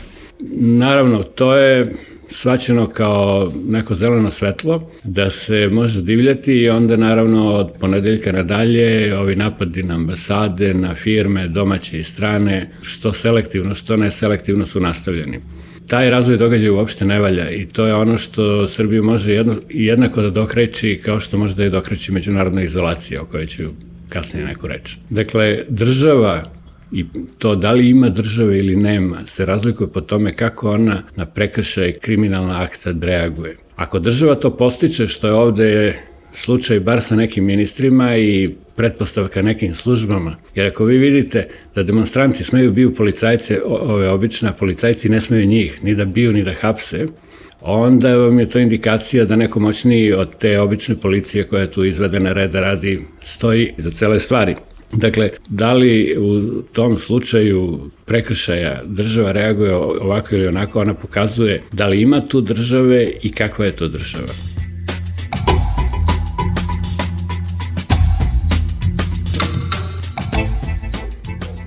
Naravno, to je shvaćeno kao neko zeleno svetlo, da se može divljati, i onda naravno od ponedeljka nadalje ovi napadi na ambasade, na firme, domaće i strane, što selektivno, što neselektivno su nastavljeni. Taj razvoj događaja uopšte ne valja i to je ono što Srbiju može jedno, jednako da dokreći kao što može da je dokreći međunarodna izolacija, o kojoj ću kasnije neku reći. Dakle, država i to da li ima države ili nema se razlikuje po tome kako ona na prekršaj kriminalna akta reaguje. Ako država to postiče, što je ovde slučaj bar sa nekim ministrima i pretpostavka nekim službama, jer ako vi vidite da demonstranti smeju biju policajce, ove obične, policajci ne smeju njih, ni da biju, ni da hapse, onda vam je to indikacija da neko moćniji od te obične policije koja je tu izvedena reda radi stoji za cele stvari. Dakle, da li u tom slučaju prekršaja država reaguje ovako ili onako, ona pokazuje da li ima tu države i kakva je to država.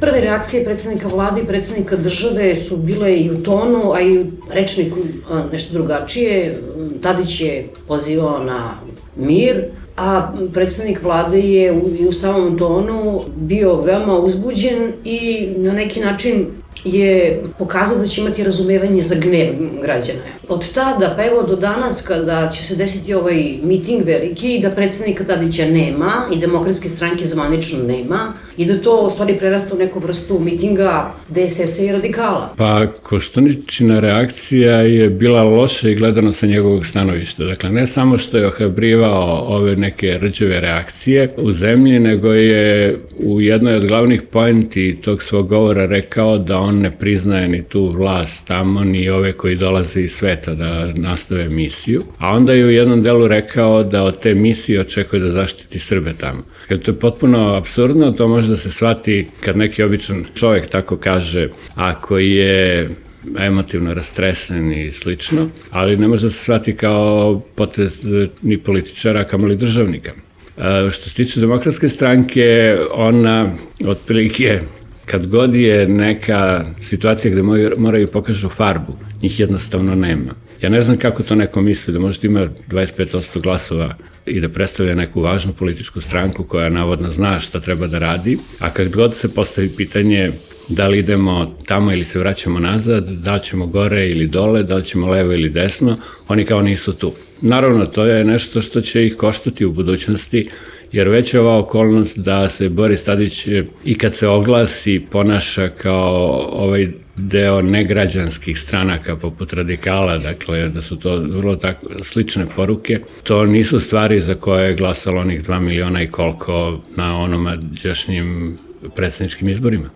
Prve reakcije predsednika vlade i predsednika države su bile i u tonu, a i u rečniku nešto drugačije. Tadić je pozivao na mir, a predsednik vlade je u, u samom tonu bio veoma uzbuđen i na neki način je pokazao da će imati razumevanje za gnev građana. Od tada pa evo do danas kada će se desiti ovaj miting veliki, da predsednika Tadića nema i Demokratske stranke zvanično nema i da to u stvari prerasta u neku vrstu mitinga D S S-a i radikala. Pa Koštuničina reakcija je bila loša i gledano sa njegovog stanovišta. Dakle, ne samo što je ohrabrivao ove neke rđave reakcije u zemlji, nego je u jednoj od glavnih poenti tog svog govora rekao da on ne priznaje ni tu vlast tamo, ni ove koji dolaze iz sveta da nastave misiju. A onda je u jednom delu rekao da od te misije očekuje da zaštiti Srbe tamo. Kad to je potpuno apsurdno, to može da se shvati kad neki običan čovjek tako kaže, ako je emotivno rastresen i slično, ali ne može da se shvati kao potez ni političara, kamoli državnika. Što se tiče Demokratske stranke, ona otprilike kad god je neka situacija gde moraju pokažu farbu, njih jednostavno nema. Ja ne znam kako to neko misli, da možete ima dvadeset pet posto glasova i da predstavlja neku važnu političku stranku koja navodno zna šta treba da radi, a kad god se postavi pitanje da li idemo tamo ili se vraćamo nazad, da li ćemo gore ili dole, da li ćemo levo ili desno, oni kao nisu tu. Naravno, to je nešto što će ih koštati u budućnosti, jer već je ova okolnost da se Boris Tadić i kad se oglasi ponaša kao ovaj deo negrađanskih stranaka poput radikala, dakle da su to vrlo tako slične poruke, to nisu stvari za koje je glasalo onih dva miliona i koliko na onomađašnjim predsjedničkim izborima.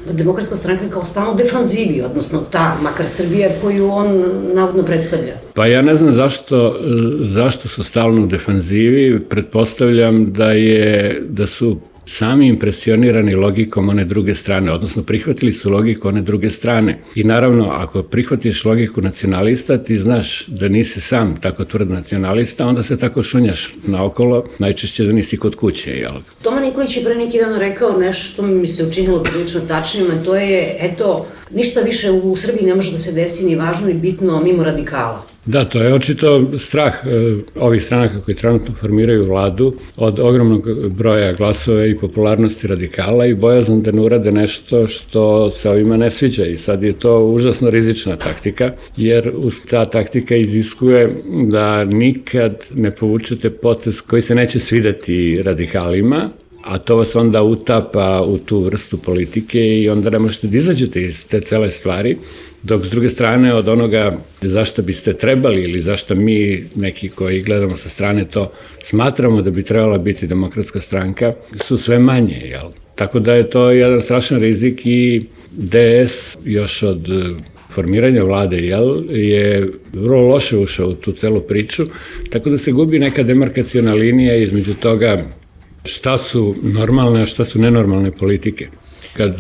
Da Demokratska stranka je kao stalno defanzivi, odnosno ta, makar Srbija koju on navodno predstavlja. Pa ja ne znam zašto, zašto su stalno u defanzivi, pretpostavljam da, je, da su sami impresionirani logikom one druge strane, odnosno prihvatili su logiku one druge strane. I naravno, ako prihvatiš logiku nacionalista, ti znaš da nisi sam tako tvrd nacionalista, onda se tako šunjaš naokolo, najčešće da nisi kod kuće, jel? Toma Nikolić je pre neki dan rekao nešto što mi se učinilo prilično tačnim, a to je, eto, ništa više u Srbiji ne može da se desi ni važno ni bitno mimo radikala. Da, to je očito strah e, ovih stranaka koji trenutno formiraju vladu od ogromnog broja glasova i popularnosti radikala i bojazan da ne urade nešto što se ovima ne sviđa i sad je to užasno rizična taktika, jer ta taktika iziskuje da nikad ne povučete potez koji se neće svideti radikalima, a to vas onda utapa u tu vrstu politike i onda ne možete da izađete iz te cele stvari, dok s druge strane od onoga zašto biste trebali ili zašto mi neki koji gledamo sa strane to smatramo da bi trebala biti demokratska stranka su sve manje, jel? Tako da je to jedan strašan rizik i D S još od formiranja vlade, jel, je vrlo loše ušao u tu celu priču, tako da se gubi neka demarkaciona linija između toga šta su normalne, a šta su nenormalne politike. Kad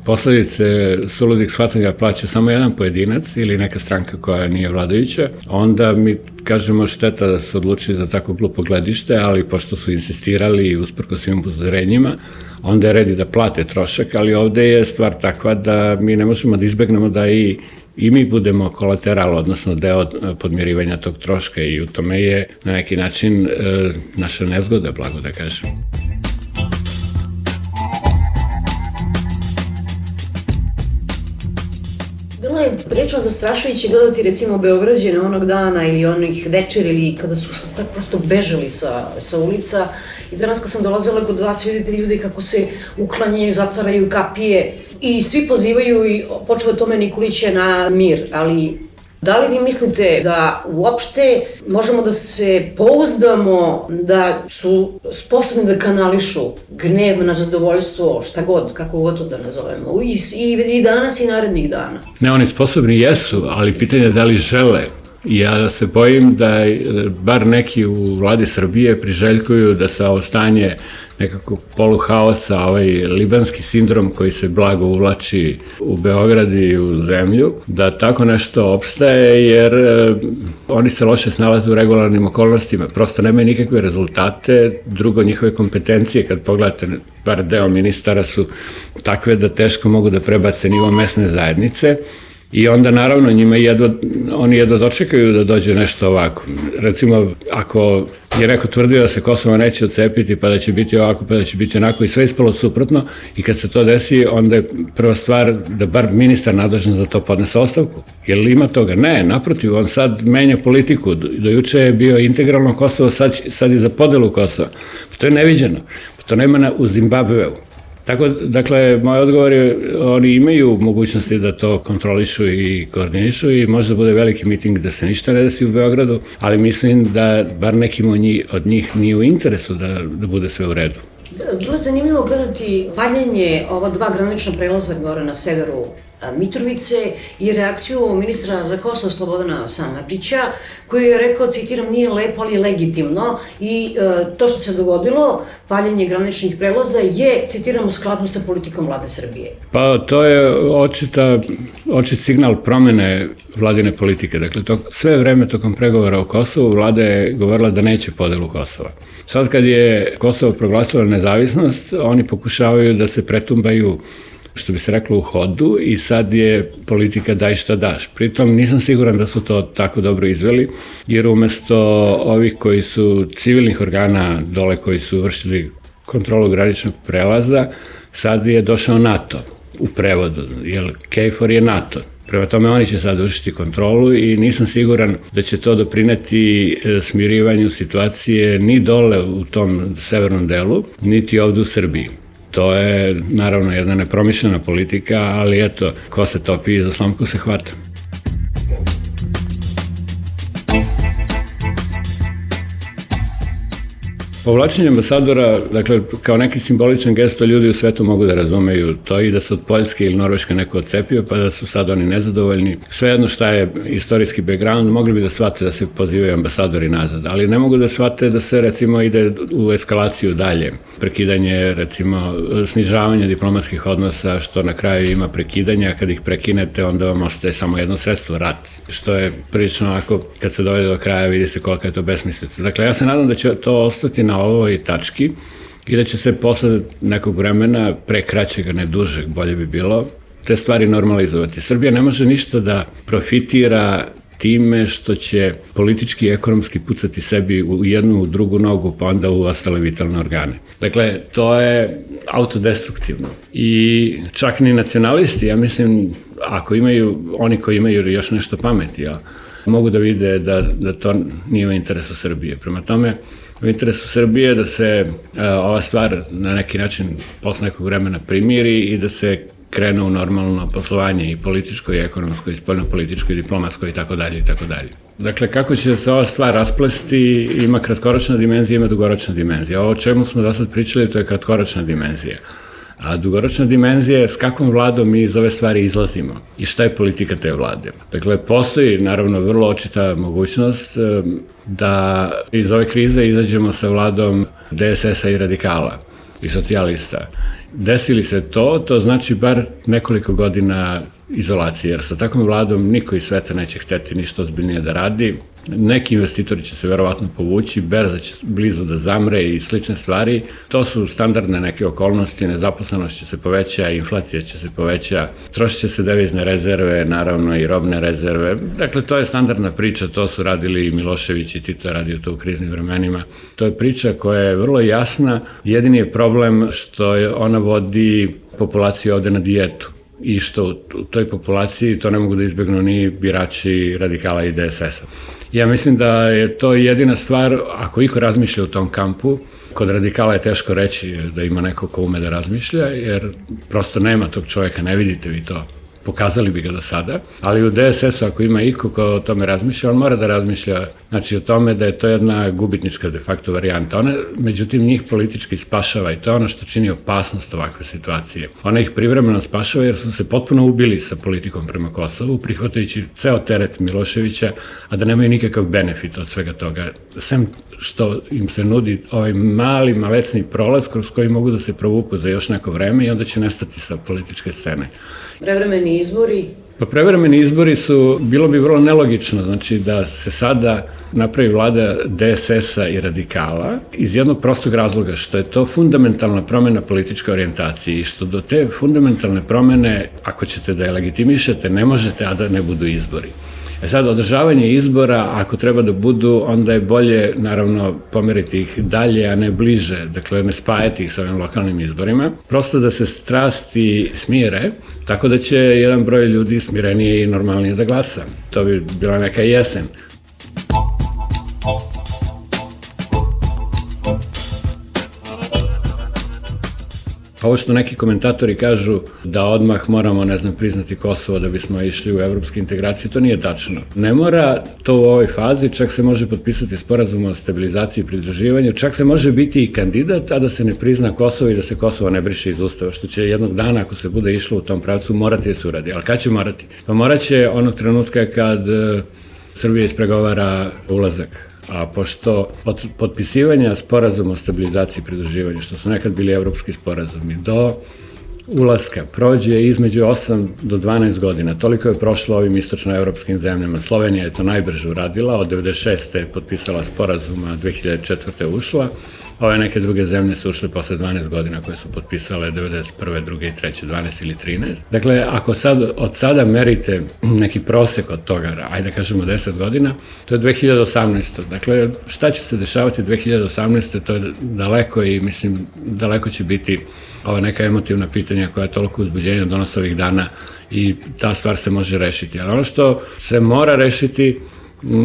posledice suludih shvatanja plaća samo jedan pojedinac ili neka stranka koja nije vladajuća, onda mi kažemo šteta da su odlučili za tako glupo gledište, ali pošto su insistirali i usprko svim upozorenjima, onda je red i da plate trošak, ali ovde je stvar takva da mi ne možemo da izbegnemo da i i mi budemo kolateral, odnosno deo podmirivanja tog troška i u tome je na neki način e, naša nezgoda, blago da kažem. Bilo je prilično zastrašujuće gledati recimo Beograđane onog dana ili onih večer ili kada su tako prosto bežali sa, sa ulica i danas kad sam dolazila kod vas vidite ljudi kako se uklanjaju, zatvaraju kapije i svi pozivaju i počeo tome Nikolića na mir, ali da li vi mislite da uopšte možemo da se pouzdamo da su sposobni da kanališu gnev na zadovoljstvo, šta god, kako god to da nazovemo, i, i, i danas i narednih dana? Ne, oni sposobni jesu, ali pitanje je da li žele. Ja se bojim da bar neki u vladi Srbije priželjkuju da se ovo stanje nekako poluhaosa, ovaj libanski sindrom koji se blago uvlači u Beograd i u zemlju, da tako nešto opstaje jer e, oni se loše snalaze u regularnim okolnostima, prosto nemaju nikakve rezultate, drugo njihove kompetencije, kad pogledate, bar deo ministara su takve da teško mogu da prebace nivo mesne zajednice. I onda naravno njima jedva, oni jedva dočekaju da dođe nešto ovako. Recimo, ako je neko tvrdio da se Kosovo neće odcepiti, pa da će biti ovako, pa da će biti onako i sve ispalo suprotno i kad se to desi, onda je prva stvar da bar ministar nadležan za to podnese ostavku. Jer li ima toga? Ne, naprotiv, on sad menja politiku. Do juče je bio integralno Kosovo, sad, sad je za podelu Kosova. Pa to je neviđeno. Pa to nema na, u Zimbabveu. Tako, dakle, moj odgovor je, oni imaju mogućnosti da to kontrolišu i koordinišu i možda bude veliki miting da se ništa ne desi u Beogradu, ali mislim da bar nekim od njih, od njih nije u interesu da, da bude sve u redu. Bilo je zanimljivo gledati paljenje ova dva granična prelaza gore na severu Mitrovice i reakciju ministra za Kosovo Slobodana Samardžića koji je rekao, citiram, nije lepo ali legitimno i e, to što se dogodilo, paljenje graničnih prelaza je, citiram, u skladu sa politikom vlade Srbije. Pa to je očita, očit signal promene vladine politike. Dakle, to, sve vreme tokom pregovora o Kosovu vlada je govorila da neće podelu Kosova. Sad kad je Kosovo proglasilo nezavisnost, oni pokušavaju da se pretumbaju, što bi se reklo, u hodu i sad je politika daj šta daš. Pritom nisam siguran da su to tako dobro izveli, jer umesto ovih koji su civilnih organa dole koji su vršili kontrolu graničnog prelaza, sad je došao NATO u prevodu, jer KFOR je NATO. Prema tome oni će sad vršiti kontrolu i nisam siguran da će to doprineti smirivanju situacije ni dole u tom severnom delu, niti ovde u Srbiji. To je naravno jedna nepromišljena politika, ali eto, ko se topi i za slamku se hvata. Povlačenje ambasadora, dakle, kao neki simboličan gesto ljudi u svetu mogu da razumeju to i da se od Poljske ili Norveške neko odcepio, pa da su sad oni nezadovoljni. Svejedno šta je istorijski background, mogli bi da shvate da se pozivaju ambasadori nazad, ali ne mogu da shvate da se, recimo, ide u eskalaciju dalje. Prekidanje, recimo, snižavanje diplomatskih odnosa, što na kraju ima prekidanja, kad ih prekinete, onda vam ostaje samo jedno sredstvo, rat. Što je prilično onako, kad se dovede do kraja, vidi se kolika je to besmislica. Dakle, ja se nadam da će to ostati na ovoj tački i da će se posle nekog vremena, pre kraćega, ne dužeg, bolje bi bilo, te stvari normalizovati. Srbija ne može ništa da profitira time što će politički i ekonomski pucati sebi u jednu, u drugu nogu, pa onda u ostale vitalne organe. Dakle, to je autodestruktivno. I čak ni nacionalisti, ja mislim, ako imaju, oni koji imaju još nešto pameti, ja, mogu da vide da, da to nije u interesu Srbije. Prema tome, u interesu Srbije da se ova stvar na neki način posle nekog vremena primiri i da se krene u normalno poslovanje i političko i ekonomsko i spoljno-političko i diplomatsko i tako dalje i tako dalje. Dakle, kako će se ova stvar rasplesti, ima kratkoročna dimenzija, ima dugoročna dimenzija. Ovo o čemu smo do sad pričali, to je kratkoročna dimenzija. A dugoročna dimenzija je s kakvom vladom mi iz ove stvari izlazimo i šta je politika te vlade. Dakle, postoji naravno vrlo očita mogućnost da iz ove krize izađemo sa vladom D S S-a i radikala i socijalista. Desili se to, to znači bar nekoliko godina izolacije, jer sa takvom vladom niko iz sveta neće hteti ništa ozbiljnije da radi. Neki investitori će se verovatno povući, berza će blizu da zamre i slične stvari. To su standardne neke okolnosti, nezaposlenost će se poveća, inflacija će se poveća, trošit će se devizne rezerve, naravno i robne rezerve. Dakle, to je standardna priča, to su radili i Milošević i Tito je radio to u kriznim vremenima. To je priča koja je vrlo jasna, jedini je problem što je ona vodi populaciju ovde na dijetu i što u toj populaciji to ne mogu da izbjegnu ni birači radikala i D S S-a. Ja mislim da je to jedina stvar, ako iko razmišlja u tom kampu, kod radikala je teško reći da ima neko ko ume da razmišlja, jer prosto nema tog čovjeka, ne vidite vi to, pokazali bi ga do sada, ali u D S S-u ako ima iko ko o tome razmišlja, on mora da razmišlja znači o tome da je to jedna gubitnička de facto varijanta. Ona, međutim, njih politički spašava i to je ono što čini opasnost ovakve situacije. Ona ih privremeno spašava jer su se potpuno ubili sa politikom prema Kosovu, prihvatajući ceo teret Miloševića, a da nemaju nikakav benefit od svega toga. Sem što im se nudi ovaj mali, malecni prolaz kroz koji mogu da se provuku za još neko vreme i onda će nestati sa političke scene. Prevremeni izbori? Pa prevremeni izbori su, bilo bi vrlo nelogično, znači da se sada napravi vlada D S S-a i radikala iz jednog prostog razloga što je to fundamentalna promena političke orijentacije i što do te fundamentalne promene, ako ćete da je legitimišete, ne možete, a da ne budu izbori. E sad, održavanje izbora, ako treba da budu, onda je bolje, naravno, pomeriti ih dalje, a ne bliže, dakle, ne spajati ih sa ovim lokalnim izborima, prosto da se strasti smire, tako da će jedan broj ljudi smirenije i normalnije da glasa. To bi bila neka jesen. Ovo što neki komentatori kažu da odmah moramo, ne znam, priznati Kosovo da bismo išli u evropske integracije, to nije tačno. Ne mora to u ovoj fazi, čak se može potpisati sporazum o stabilizaciji i pridruživanju, čak se može biti i kandidat, a da se ne prizna Kosovo i da se Kosovo ne briše iz Ustava, što će jednog dana, ako se bude išlo u tom pravcu, morati da se uradi. Ali kad će morati? Pa morat će onog trenutka kad Srbija ispregovara ulazak. A pošto od potpisivanja sporazuma o stabilizaciji i pridruživanju, što su nekad bili evropski sporazumi, do ulaska prođe između osam do dvanaest godina. Toliko je prošlo ovim istočnoevropskim zemljama. Slovenija je to najbrže uradila, od devedeset šeste je potpisala sporazuma, dve hiljade četvrte ušla. Ove neke druge zemlje su ušle posle dvanaest godina koje su potpisale devedeset prve, druge i treće, dvanaest ili trinaest. Dakle, ako sad, od sada merite neki prosek od toga, ajde kažemo deset godina, to je dve hiljade osamnaesta. Dakle, šta će se dešavati dve hiljade osamnaeste. To je daleko i, mislim, daleko će biti ova neka emotivna pitanja koja je toliko uzbuđenja donose ovih dana i ta stvar se može rešiti. Ali ono što se mora rešiti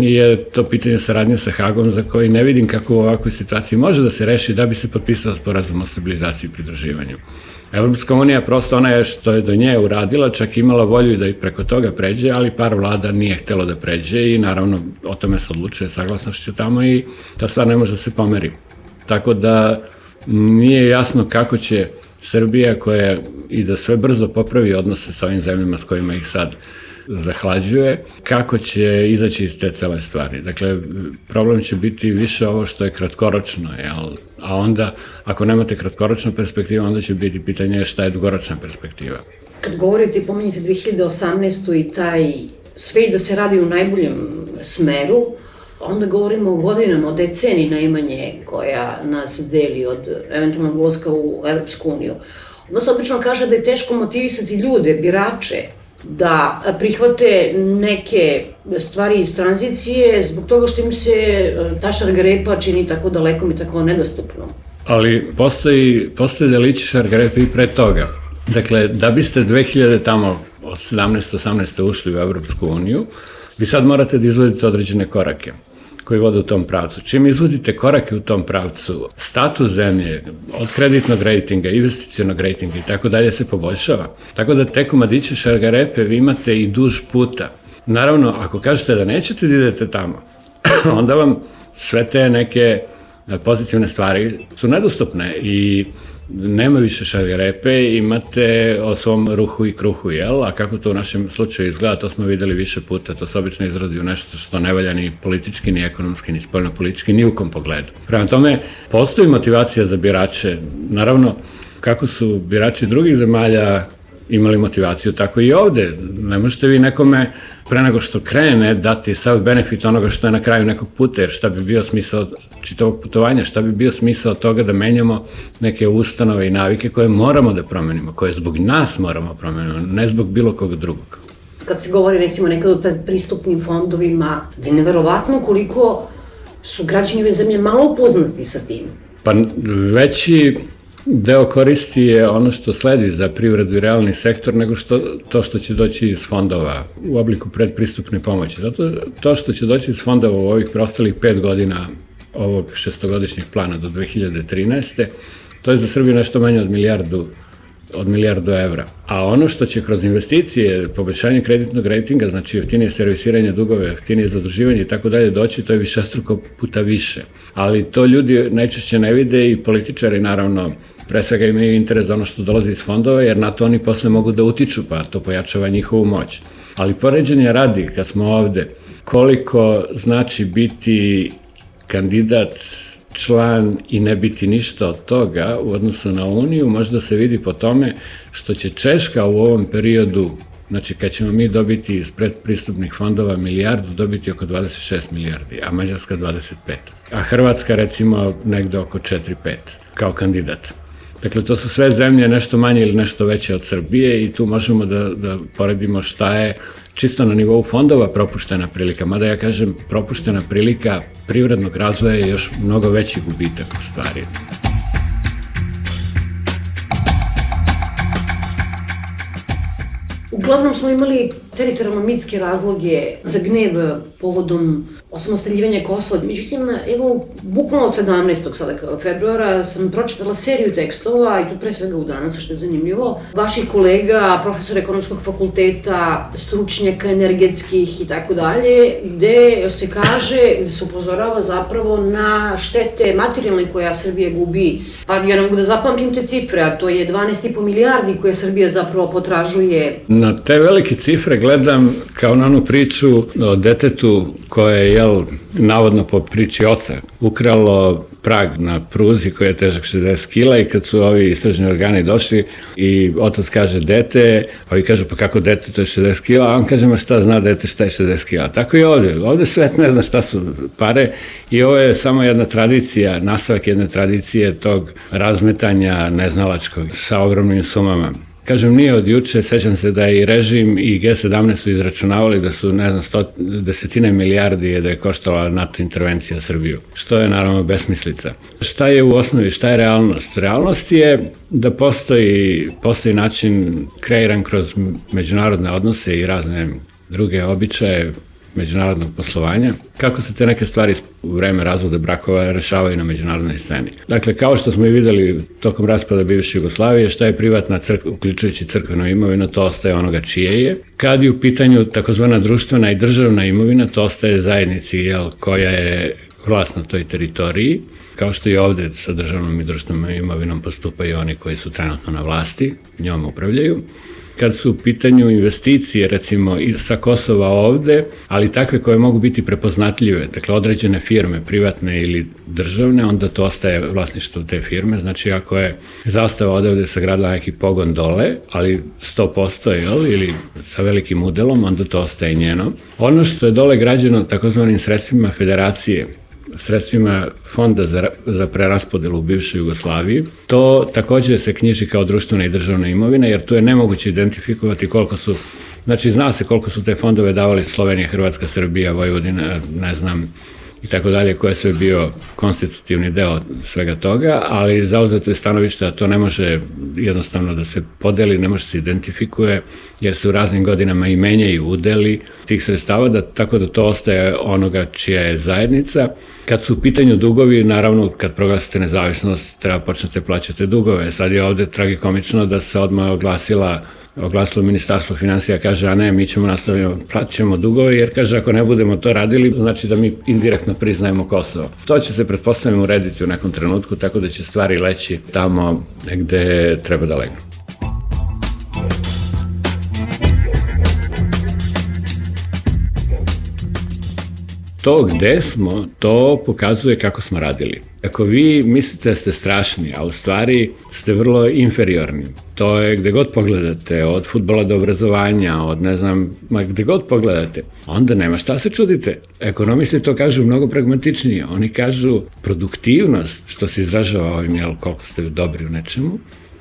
je to pitanje saradnje sa Hagom, za koji ne vidim kako u ovakvoj situaciji može da se reši da bi se potpisao sporazum o stabilizaciji i pridruživanju. Evropska unija, prosto ona je što je do nje uradila, čak imala volju da i preko toga pređe, ali par vlada nije htelo da pređe i naravno o tome se odlučuje saglasnošću tamo i ta stvar ne može da se pomeri. Tako da nije jasno kako će Srbija, koja i da sve brzo popravi odnose sa ovim zemljama s kojima ih sad zahlađuje, kako će izaći iz te cele stvari. Dakle, problem će biti više ovo što je kratkoročno, jel? A onda, ako nemate kratkoročnu perspektivu, onda će biti pitanje šta je dugoročna perspektiva. Kad govorite i pomenjate dve hiljade osamnaestu i taj sve i da se radi u najboljem smeru, onda govorimo o godinama, o deceniji najmanje koja nas deli od eventualnog ulaska u Evropsku uniju. Onda se obično kaže da je teško motivisati ljude, birače, da prihvate neke stvari iz tranzicije zbog toga što im se ta šargarepa čini tako dalekom i tako nedostupnom. Ali postoji, postoji delići šargarepa i pre toga. Dakle, da biste dve hiljade tamo od sedamnaeste osamnaeste ušli u Evropsku uniju, vi sad morate da izvodite određene korake. koji vode u tom pravcu. Čim izvodite korake u tom pravcu, status zemlje, od kreditnog rejtinga, investicionog rejtinga i tako dalje se poboljšava. Tako da te komadiće šargarepe vi imate i duž puta. Naravno, ako kažete da nećete da idete tamo, onda vam sve te neke pozitivne stvari su nedostupne i nema više šargarepe, imate o svom ruhu i kruhu, jel? A kako to u našem slučaju izgleda, to smo videli više puta, to se obično izrazi u nešto što ne valja ni politički, ni ekonomski, ni spoljno-politički, ni u kom pogledu. Prema tome, postoji motivacija za birače, naravno, kako su birači drugih zemalja imali motivaciju, tako i ovde. Ne možete vi nekome pre nego što krene dati sav benefit onoga što je na kraju nekog puta, jer šta bi bio smisao čitavog putovanja, šta bi bio smisao toga da menjamo neke ustanove i navike koje moramo da promenimo, koje zbog nas moramo promenimo, ne zbog bilo koga drugog. Kad se govori recimo nekad o pristupnim fondovima, je neverovatno koliko su građani ove zemlje malo upoznati sa tim. Pa veći deo koristi je ono što sledi za privredu i realni sektor nego što, to što će doći iz fondova u obliku predpristupne pomoći. Zato to što će doći iz fondova u ovih preostalih pet godina ovog šestogodišnjeg plana do dve hiljade trinaeste. to je za Srbiju nešto manje od milijardu od milijardu evra. A ono što će kroz investicije, poboljšanje kreditnog rejtinga, znači jeftinije servisiranje dugove, jeftinije zaduživanje i tako dalje doći, to je višestruko puta više. Ali to ljudi najčešće ne vide i političari naravno pre svega imaju interes za ono što dolazi iz fondova, jer na to oni posle mogu da utiču, pa to pojačava njihovu moć. Ali poređenje radi, kad smo ovde, koliko znači biti kandidat, član i ne biti ništa od toga u odnosu na Uniju, možda se vidi po tome što će Češka u ovom periodu, znači kad ćemo mi dobiti iz predpristupnih fondova milijardu, dobiti oko dvadeset šest milijardi, a Mađarska dvadeset pet. A Hrvatska recimo negde oko četiri pet kao kandidat. Dakle, to su sve zemlje nešto manje ili nešto veće od Srbije i tu možemo da, da poredimo šta je čisto na nivou fondova propuštena prilika. Mada ja kažem, propuštena prilika privrednog razvoja je još mnogo veći gubitak u stvari. Uglavnom smo imali teritorijalno mitske razloge za gnev povodom osamostaljivanja Kosova. Međutim, evo, bukvalno od sedamnaestog sada februara sam pročitala seriju tekstova, i tu pre svega u Danas, što je zanimljivo, vaših kolega, profesora ekonomskog fakulteta, stručnjaka energetskih i tako dalje, gde se kaže, gde se upozorava zapravo na štete materijalne koja Srbija gubi. Pa ja ne mogu da zapamtim te cifre, a to je dvanaest i po milijardi koje Srbija zapravo potražuje. Na te velike cifre gledam kao na onu priču o detetu koje je, jel, navodno po priči oca, ukralo prag na pruzi koji je težak šezdeset kila i kad su ovi istražni organi došli i otac kaže dete, ovi kažu pa kako dete, to je šezdeset kila, a on kaže ma šta zna dete šta je šezdeset kila. Tako i ovde, ovde svet ne zna šta su pare i ovo je samo jedna tradicija, nastavak jedne tradicije tog razmetanja neznalačkog sa ogromnim sumama. Kažem, nije od juče, sećam se da i režim i G sedamnaest su izračunavali da su, ne znam, sto, desetine milijardi je da je koštala NATO intervencija Srbiju, što je naravno besmislica. Šta je u osnovi, šta je realnost? Realnost je da postoji, postoji način kreiran kroz međunarodne odnose i razne druge običaje međunarodnog poslovanja, kako se te neke stvari u vreme razvoda brakova rešavaju na međunarodnoj sceni. Dakle, kao što smo i videli tokom raspada bivše Jugoslavije, šta je privatna crkva, uključujući crkvenu imovinu, to ostaje onoga čije je. Kad je u pitanju takozvana društvena i državna imovina, to ostaje zajednici, jel, koja je vlast na toj teritoriji, kao što i ovde sa državnom i društvenom imovinom postupaju oni koji su trenutno na vlasti, njom upravljaju. Kad su u pitanju investicije, recimo i sa Kosova ovde, ali takve koje mogu biti prepoznatljive, dakle određene firme, privatne ili državne, onda to ostaje vlasništvo te firme, znači ako je zastava odavde sagradila neki pogon dole, ali sto posto jel, ili sa velikim udelom, onda to ostaje njeno. Ono što je dole građeno takozvanim sredstvima federacije, sredstvima fonda za, za preraspodelu u bivšoj Jugoslaviji, to takođe se knjiži kao društvena i državna imovina, jer tu je nemoguće identifikovati koliko su, znači zna se koliko su te fondove davali Slovenija, Hrvatska, Srbija, Vojvodina, ne znam, i tako dalje, koja je sve bio konstitutivni deo svega toga, ali zauzeto je stanovište da to ne može jednostavno da se podeli, ne može se identifikuje, jer se u raznim godinama i menjaju udeli tih sredstava, da, tako da to ostaje onoga čija je zajednica. Kad su u pitanju dugovi, naravno, kad proglasite nezavisnost, treba počnete plaćati dugove. Sad je ovde tragikomično da se odmah oglasila oglasilo Ministarstvo finansija, kaže, a ne, mi ćemo nastavljamo, plaćamo dugove, jer kaže, ako ne budemo to radili, znači da mi indirektno priznajemo Kosovo. To će se, pretpostavljamo, urediti u nekom trenutku, tako da će stvari leći tamo gde treba da legnu. To gde smo, to pokazuje kako smo radili. Ako vi mislite da ste strašni, a u stvari ste vrlo inferiorni, to je gde god pogledate, od fudbala do obrazovanja, od ne znam, ma gde god pogledate, onda nema šta se čudite. Ekonomisti to kažu mnogo pragmatičnije. Oni kažu produktivnost, što se izražava ovim, jel, koliko ste dobri u nečemu,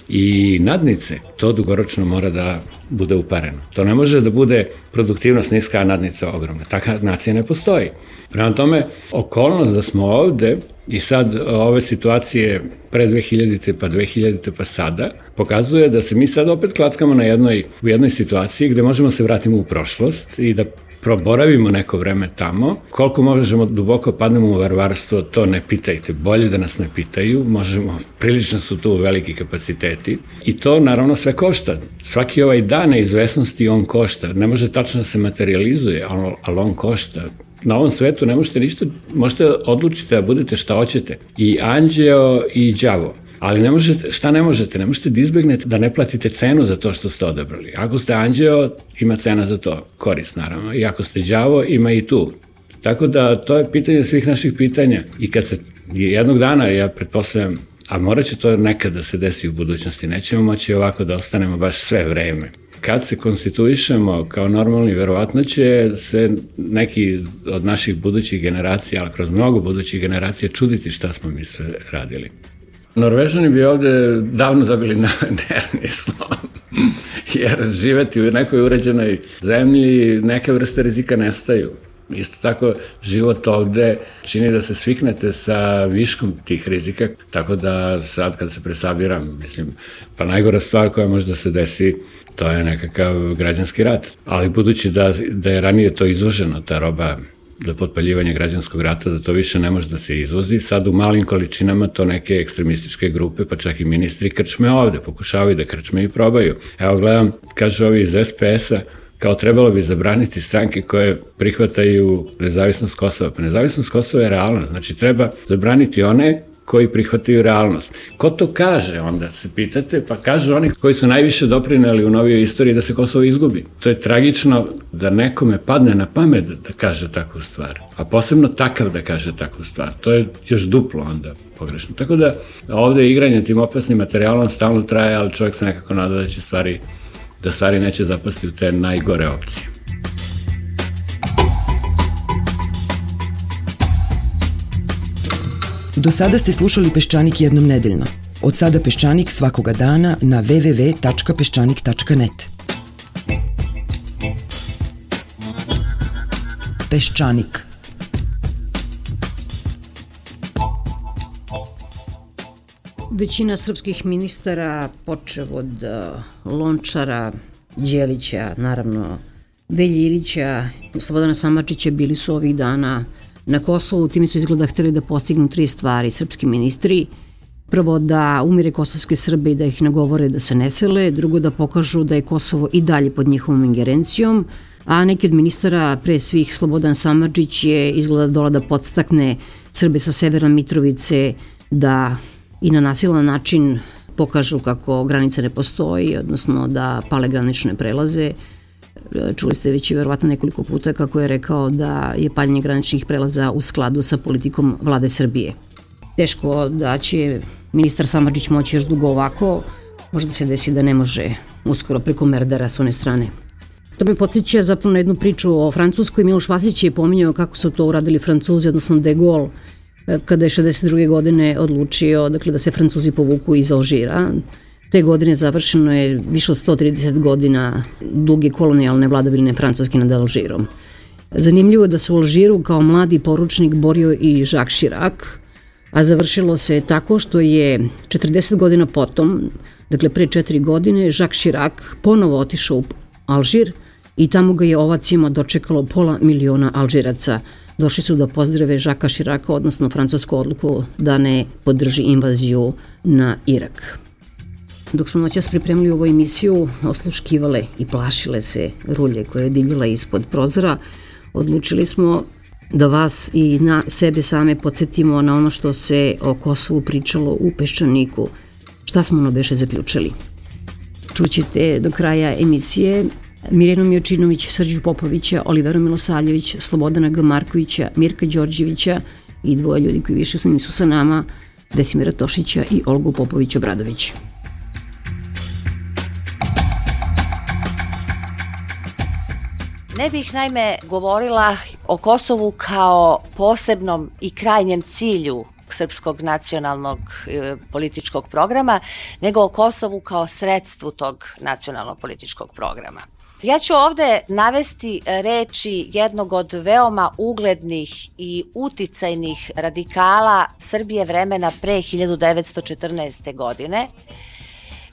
i nadnice, to dugoročno mora da bude upareno. To ne može da bude produktivnost niska, a nadnica ogromna. Taka nacija ne postoji. Prema tome, okolnost da smo ovde i sad ove situacije pre dve hiljadite pa dve hiljadite pa sada, pokazuje da se mi sad opet klackamo na jednoj, u jednoj situaciji gde možemo se vratiti u prošlost i da proboravimo neko vreme tamo. Koliko možemo duboko padnemo u varvarstvo, to ne pitajte. Bolje da nas ne pitaju, možemo, prilično su tu veliki kapaciteti i to naravno sve košta. Svaki ovaj dan neizvesnosti on košta. Ne može tačno da se materializuje, ali on košta. Na ovom svetu ne možete ništa, možete odlučiti da budete šta hoćete. I anđeo i đavo. Ali ne možete, šta ne možete? Ne možete da izbegnete da ne platite cenu za to što ste odabrali. Ako ste anđeo, ima cena za to, korist naravno. I ako ste đavo, ima i tu. Tako da to je pitanje svih naših pitanja. I kad se jednog dana, ja pretpostavljam, a morat će to nekad da se desi u budućnosti, nećemo moći ovako da ostanemo baš sve vreme. Kad se konstituišemo kao normalni, verovatno će se neki od naših budućih generacija, ali kroz mnogo budućih generacija, čuditi šta smo mi sve radili. Norvežani bi ovde davno dobili nervni slom, jer živeti u nekoj uređenoj zemlji, neke vrste rizika nestaju. Isto tako, život ovde čini da se sviknete sa viškom tih rizika, tako da sad kad se presabiram, mislim, pa najgora stvar koja može da se desi, to je nekakav građanski rat. Ali budući da, da je ranije to izvoženo, ta roba za potpaljivanje građanskog rata, da to više ne može da se izvozi, sad u malim količinama to neke ekstremističke grupe, pa čak i ministri krčme ovde, pokušavaju da krčme i probaju. Evo gledam, kaže ovi iz es pe es-a, kao trebalo bi zabraniti stranke koje prihvataju nezavisnost Kosova. Pa nezavisnost Kosova je realna, znači treba zabraniti one koji prihvataju realnost. Ko to kaže, onda se pitate, pa kaže oni koji su najviše doprineli u novijoj istoriji da se Kosovo izgubi. To je tragično da nekome padne na pamet da kaže takvu stvar, a posebno takav da kaže takvu stvar. To je još duplo onda pogrešno. Tako da ovde igranje tim opasnim materijalom stalno traje, ali čovjek se nekako nada da će stvari, da stvari neće zapasti u te najgore opcije. Do sada ste slušali Peščanik jednom nedeljno. Od sada Peščanik svakoga dana na w w w tačka peščanik tačka net. Peščanik. Većina srpskih ministara, počev od Lončara, Đelića, naravno Velje Ilića, Slobodana Samardžića, bili su ovih dana na Kosovu. Time su izgleda hteli da postignu tri stvari srpski ministri. Prvo, da umire kosovske Srbe i da ih nagovore da se ne sele. Drugo, da pokažu da je Kosovo i dalje pod njihovom ingerencijom. A neki od ministara, pre svih Slobodan Samardžić, je izgleda dola da podstakne Srbe sa severa Mitrovice da i na nasilan način pokažu kako granica ne postoji, odnosno da pale granične prelaze. Čuli ste već i verovatno nekoliko puta kako je rekao da je paljenje graničnih prelaza u skladu sa politikom vlade Srbije. Teško da će ministar Samardžić moći još dugo ovako, možda se desi da ne može uskoro preko Merdara s one strane. To me podsjeća zapravo na jednu priču o Francuskoj. Miloš Vasić je pominjao kako su to uradili Francuzi, odnosno De Gaulle, kada je šezdeset druge godine odlučio dakle, da se Francuzi povuku iz Alžira. Te godine završeno je više od sto trideset godina duge kolonijalne vladavine Francuske nad Alžirom. Zanimljivo je da se u Alžiru kao mladi poručnik borio i Jacques Chirac, a završilo se tako što je četrdeset godina potom, dakle pre četiri godine, Jacques Chirac ponovo otišao u Alžir i tamo ga je ovacima dočekalo pola miliona Alžiraca. Došli su da pozdrave Jacquesa Chiraca, odnosno francusku odluku da ne podrži invaziju na Irak. Dok smo noćas pripremili ovu emisiju, osluškivale i plašile se rulje koje je divljala ispod prozora, odlučili smo da vas i na sebe same podsjetimo na ono što se o Kosovu pričalo u Peščaniku. Šta smo ono beše zaključili? Čućete do kraja emisije Mirjanu Miočinović, Srđu Popovića, Oliveru Milosavljević, Slobodana G. Markovića, Mirka Đorđevića i dvoje ljudi koji više nisu sa nama, Desimira Tošića i Olgu Popović-Obradović. Ne bih naime govorila o Kosovu kao posebnom i krajnjem cilju srpskog nacionalnog e, političkog programa, nego o Kosovu kao sredstvu tog nacionalnog političkog programa. Ja ću ovde navesti reči jednog od veoma uglednih i uticajnih radikala Srbije vremena pre hiljadu devetsto četrnaeste. godine.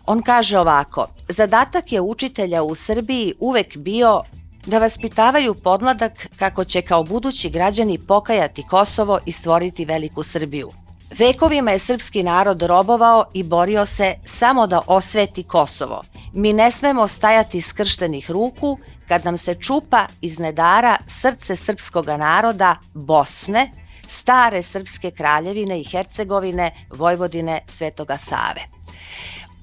On kaže ovako: zadatak je učitelja u Srbiji uvek bio da vaspitavaju podmladak kako će kao budući građani pokajati Kosovo i stvoriti veliku Srbiju. Vekovima je srpski narod robovao i borio se samo da osveti Kosovo. Mi ne smemo stajati skrštenih ruku kad nam se čupa iz nedara srce srpskoga naroda Bosne, stare srpske kraljevine i Hercegovine, Vojvodine, Svetoga Save.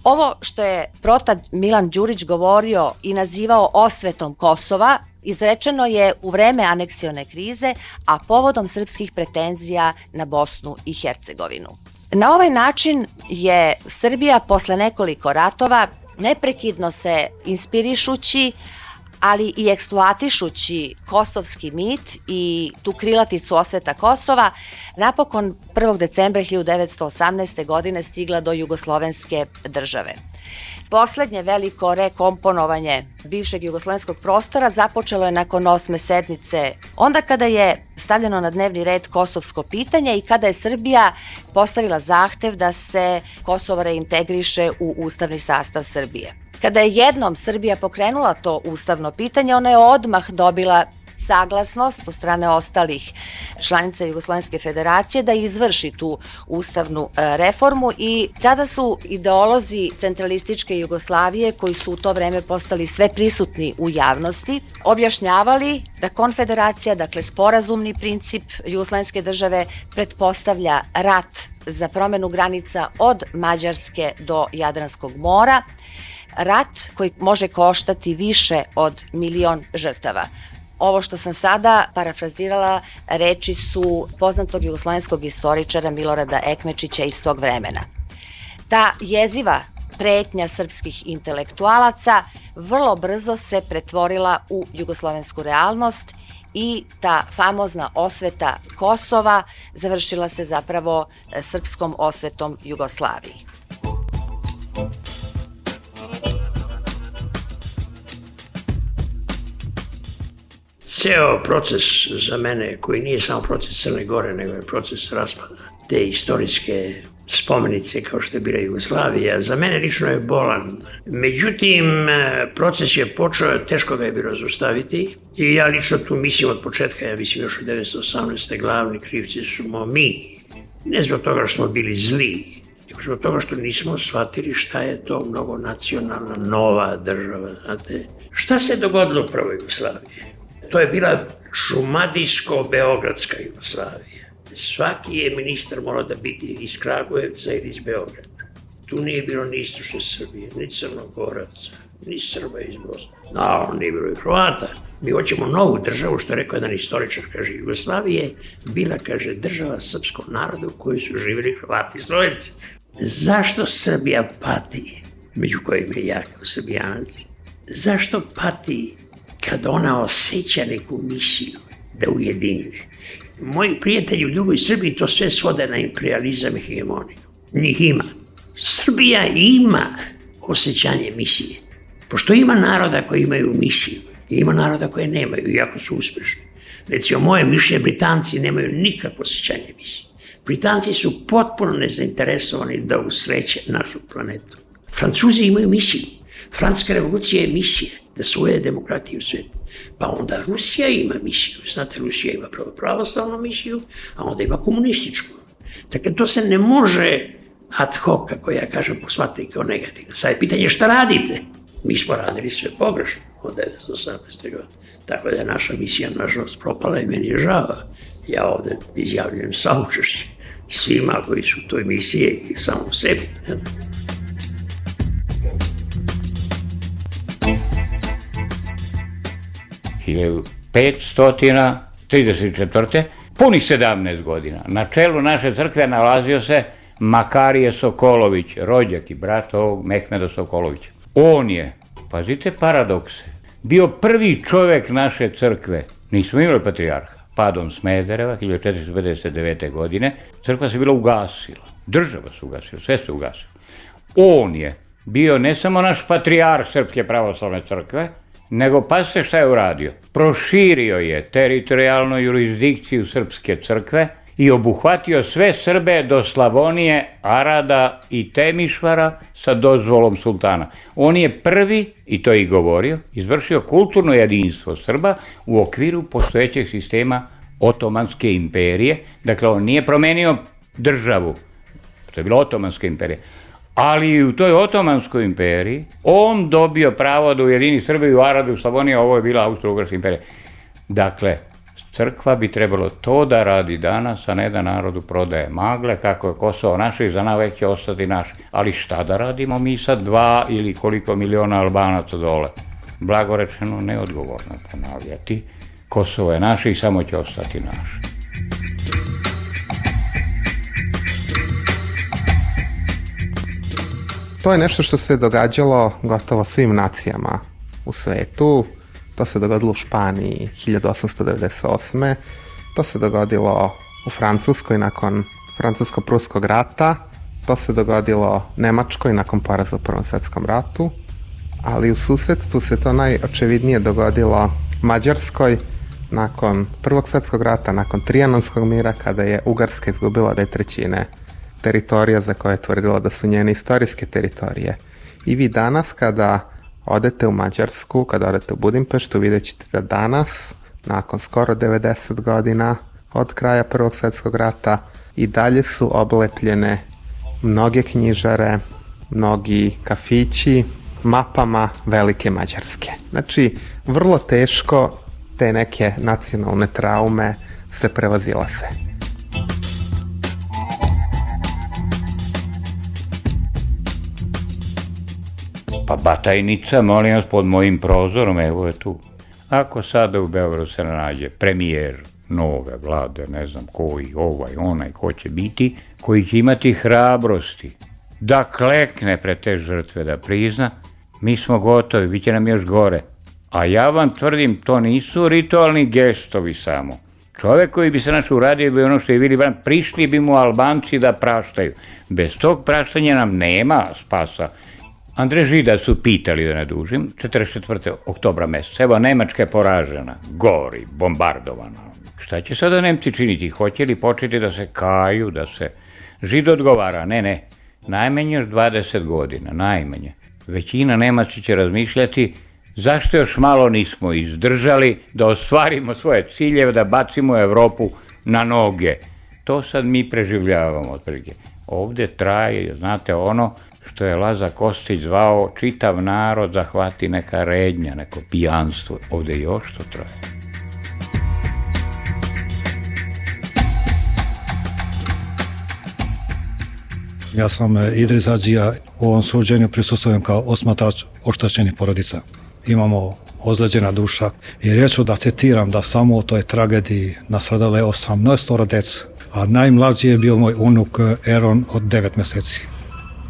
Ovo što je protad Milan Đurić govorio i nazivao osvetom Kosova, izrečeno je u vreme aneksione krize, a povodom srpskih pretenzija na Bosnu i Hercegovinu. Na ovaj način je Srbija posle nekoliko ratova, neprekidno se inspirišući, ali i eksploatišući kosovski mit i tu krilaticu osveta Kosova, napokon prvog decembra hiljadu devetsto osamnaeste. godine stigla do jugoslovenske države. Poslednje veliko rekomponovanje bivšeg jugoslovenskog prostora započelo je nakon osme sednice, onda kada je stavljeno na dnevni red kosovsko pitanje i kada je Srbija postavila zahtev da se Kosovo reintegriše u ustavni sastav Srbije. Kada je jednom Srbija pokrenula to ustavno pitanje, ona je odmah dobila saglasnost od strane ostalih članica Jugoslovenske federacije da izvrši tu ustavnu reformu i tada su ideolozi centralističke Jugoslavije, koji su u to vreme postali sve prisutni u javnosti, objašnjavali da konfederacija, dakle sporazumni princip Jugoslovenske države, pretpostavlja rat za promenu granica od Mađarske do Jadranskog mora, rat koji može koštati više od milion žrtava. Ovo što sam sada parafrazirala reči su poznatog jugoslovenskog istoričara Milorada Ekmečića iz tog vremena. Ta jeziva pretnja srpskih intelektualaca vrlo brzo se pretvorila u jugoslovensku realnost i ta famozna osveta Kosova završila se zapravo srpskom osvetom Jugoslaviji. Ceo proces za mene, koji nije samo proces Crne Gore, nego je proces raspada te istorijske spomenice kao što je bila Jugoslavija, za mene lično je bolan. Međutim, proces je počeo, teško ga je bilo zaustaviti i ja lično tu mislim od početka, ja mislim još od devetsto osamnaeste. glavni krivci smo mi. Ne zbog toga što smo bili zli, nego zbog toga što nismo shvatili šta je to mnogonacionalna nova država. Znate, šta se dogodilo u prvoj Jugoslaviji? To je bila šumadijsko-beogradska Jugoslavija. Svaki je ministar morao da biti iz Kragujevca ili iz Beograda. Tu nije bilo ni istočne Srbije, ni Crnogoraca, ni Srba iz Bosne. No, nije bilo i Hrvata. Mi hoćemo novu državu, što je rekao jedan istoričar, kaže, Jugoslavije bila, kaže, država srpskog naroda u kojoj su živjeli Hrvati i Slovenci. Zašto Srbija pati, među kojima je ja kao Srbijanac? Zašto pati kada ona osjeća neku misiju da ujedinjuje? Moji prijatelji u drugoj Srbiji to sve svode na imperializam i hegemoniju. Njih ima. Srbija ima osjećanje misije. Pošto ima naroda koji imaju misiju, ima naroda koje nemaju, iako su uspešni. Recimo, moje mišljenje, Britanci nemaju nikakvo osjećanje misije. Britanci su potpuno nezainteresovani da usreće našu planetu. Francuzi imaju misiju. Francuska revolucija je misija da svoje demokratije u svijetu. Pa onda Rusija ima misiju. Znate, Rusija ima pravoslavnu misiju, a onda ima komunističku. Dakle, to se ne može ad hoc, kako ja kažem, posmatrati kao negativno. Sad je pitanje šta radite. Mi smo radili sve pogrešno od devetsto osamnaeste. godine. Tako da je naša misija, nažalost, propala i meni je žao. Ja ovde izjavljujem saučešće svima koji su u toj misiji i samo u sebi. hiljadu petsto trideset četvrte. punih sedamnaest godina. Na čelu naše crkve nalazio se Makarije Sokolović, rođak i brat ovog Mehmeda Sokolovića. On je, pazite paradokse, bio prvi čovek naše crkve. Nismo imali patrijarha. Padom Smedereva, hiljadu četiristo pedeset devete. godine, crkva se bila ugasila. Država se ugasila, sve se ugasilo. On je bio ne samo naš patrijarh Srpske pravoslavne crkve, nego pa se šta je uradio? Proširio je teritorijalnu jurisdikciju Srpske crkve i obuhvatio sve Srbe do Slavonije, Arada i Temišvara sa dozvolom sultana. On je prvi, i to je i govorio, izvršio kulturno jedinstvo Srba u okviru postojećeg sistema Otomanske imperije. Dakle, on nije promenio državu, to je bila Otomanska imperija, ali u toj Otomanskoj imperiji on dobio pravo da ujedini Srbiju, Aradu, Slavoniju, ovo je bila Austro-Ugarska imperija. Dakle, crkva bi trebalo to da radi danas, a ne da narodu prodaje magle, kako je Kosovo naše i za navek će ostati naše. Ali šta da radimo mi sad dva ili koliko miliona Albanaca dole? Blagorečeno, neodgovorno ponavljati. Kosovo je naše i samo će ostati naše. To je nešto što se događalo gotovo svim nacijama u svetu. To se dogodilo u Španiji hiljadu osamsto devedeset osme. To se dogodilo u Francuskoj nakon Francusko-Pruskog rata. To se dogodilo Nemačkoj nakon poraza u Prvom svetskom ratu. Ali u susedstvu se to najočevidnije dogodilo Mađarskoj nakon Prvog svetskog rata, nakon Trijanonskog mira, kada je Ugarska izgubila dve trećine teritorija za koje je tvrdila da su njene istorijske teritorije. I vi danas kada odete u Mađarsku, kada odete u Budimpeštu, vidjet ćete da danas, nakon skoro devedeset godina od kraja Prvog svetskog rata, i dalje su oblepljene mnoge knjižare, mnogi kafići, mapama velike Mađarske. Znači, vrlo teško te neke nacionalne traume se prevazilaze. Pa Batajnica, molim vas, pod mojim prozorom, evo je tu. Ako sada u Beogradu se nađe premijer nove vlade, ne znam koji, ovaj, onaj, ko će biti, koji će imati hrabrosti da klekne pre te žrtve, da prizna, mi smo gotovi, bit će nam još gore. A ja vam tvrdim, to nisu ritualni gestovi samo. Čovek koji bi se naš uradio bi ono što je Vili Brandt, prišli bi mu Albanci da praštaju. Bez tog praštanja nam nema spasa. Andrej Žida su pitali, da ne dužim, četrdeset četvrte oktobra meseca. Evo, Nemačka je poražena, gori, bombardovana. Šta će sada Nemci činiti? Hoće li početi da se kaju, da se... Žid odgovara, ne, ne, najmanje još dvadeset godina, najmanje. Većina Nemaca će razmišljati zašto još malo nismo izdržali da ostvarimo svoje ciljeve, da bacimo Evropu na noge. To sad mi preživljavamo, otprilike. Ovde traje, znate, ono što je Laza Kostić zvao čitav narod zahvati neka rednja, neko pijanstvo. Ovde još to traje. Ja sam Idris Hadžija, u ovom suđenju prisustvujem kao osmatrač oštećenih porodica. Imamo ozleđena duša i reću da citiram da samo u toj tragediji nastradalo je osamnaestoro dece, a najmlađi je bio moj unuk Eron od devet meseci.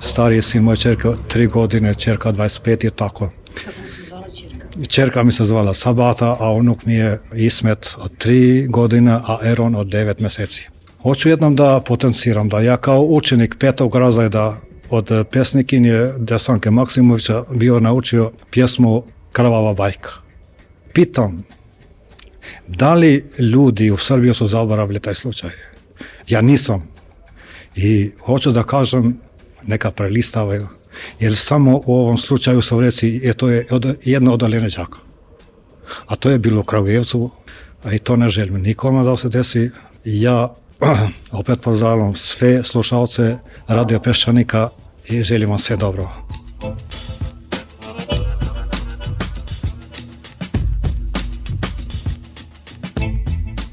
Stariji sin moje čerke tri godine, čerka dvadeset pet i tako. Kako mi se zvala čerka? Čerka mi se zvala Sabata, a unuk mi je Ismet od tri godina, a Eron od devet meseci. Hoću jednom da potenciram da ja kao učenik petog razreda od pesnikinje Desanke Maksimovića bio naučio pjesmu Krvava bajka. Pitam, Da li ljudi u Srbiji su zaboravili taj slučaj? Ja nisam. I hoću da kažem, neka prelistavaju, jer samo u ovom slučaju su reci, je to je od, jedno odaljene đaka. A to je bilo u Kragujevcu, a i to ne želim nikome da se desi. Ja opet pozdravljam sve slušalce Radio Peščanika i želim vam sve dobro.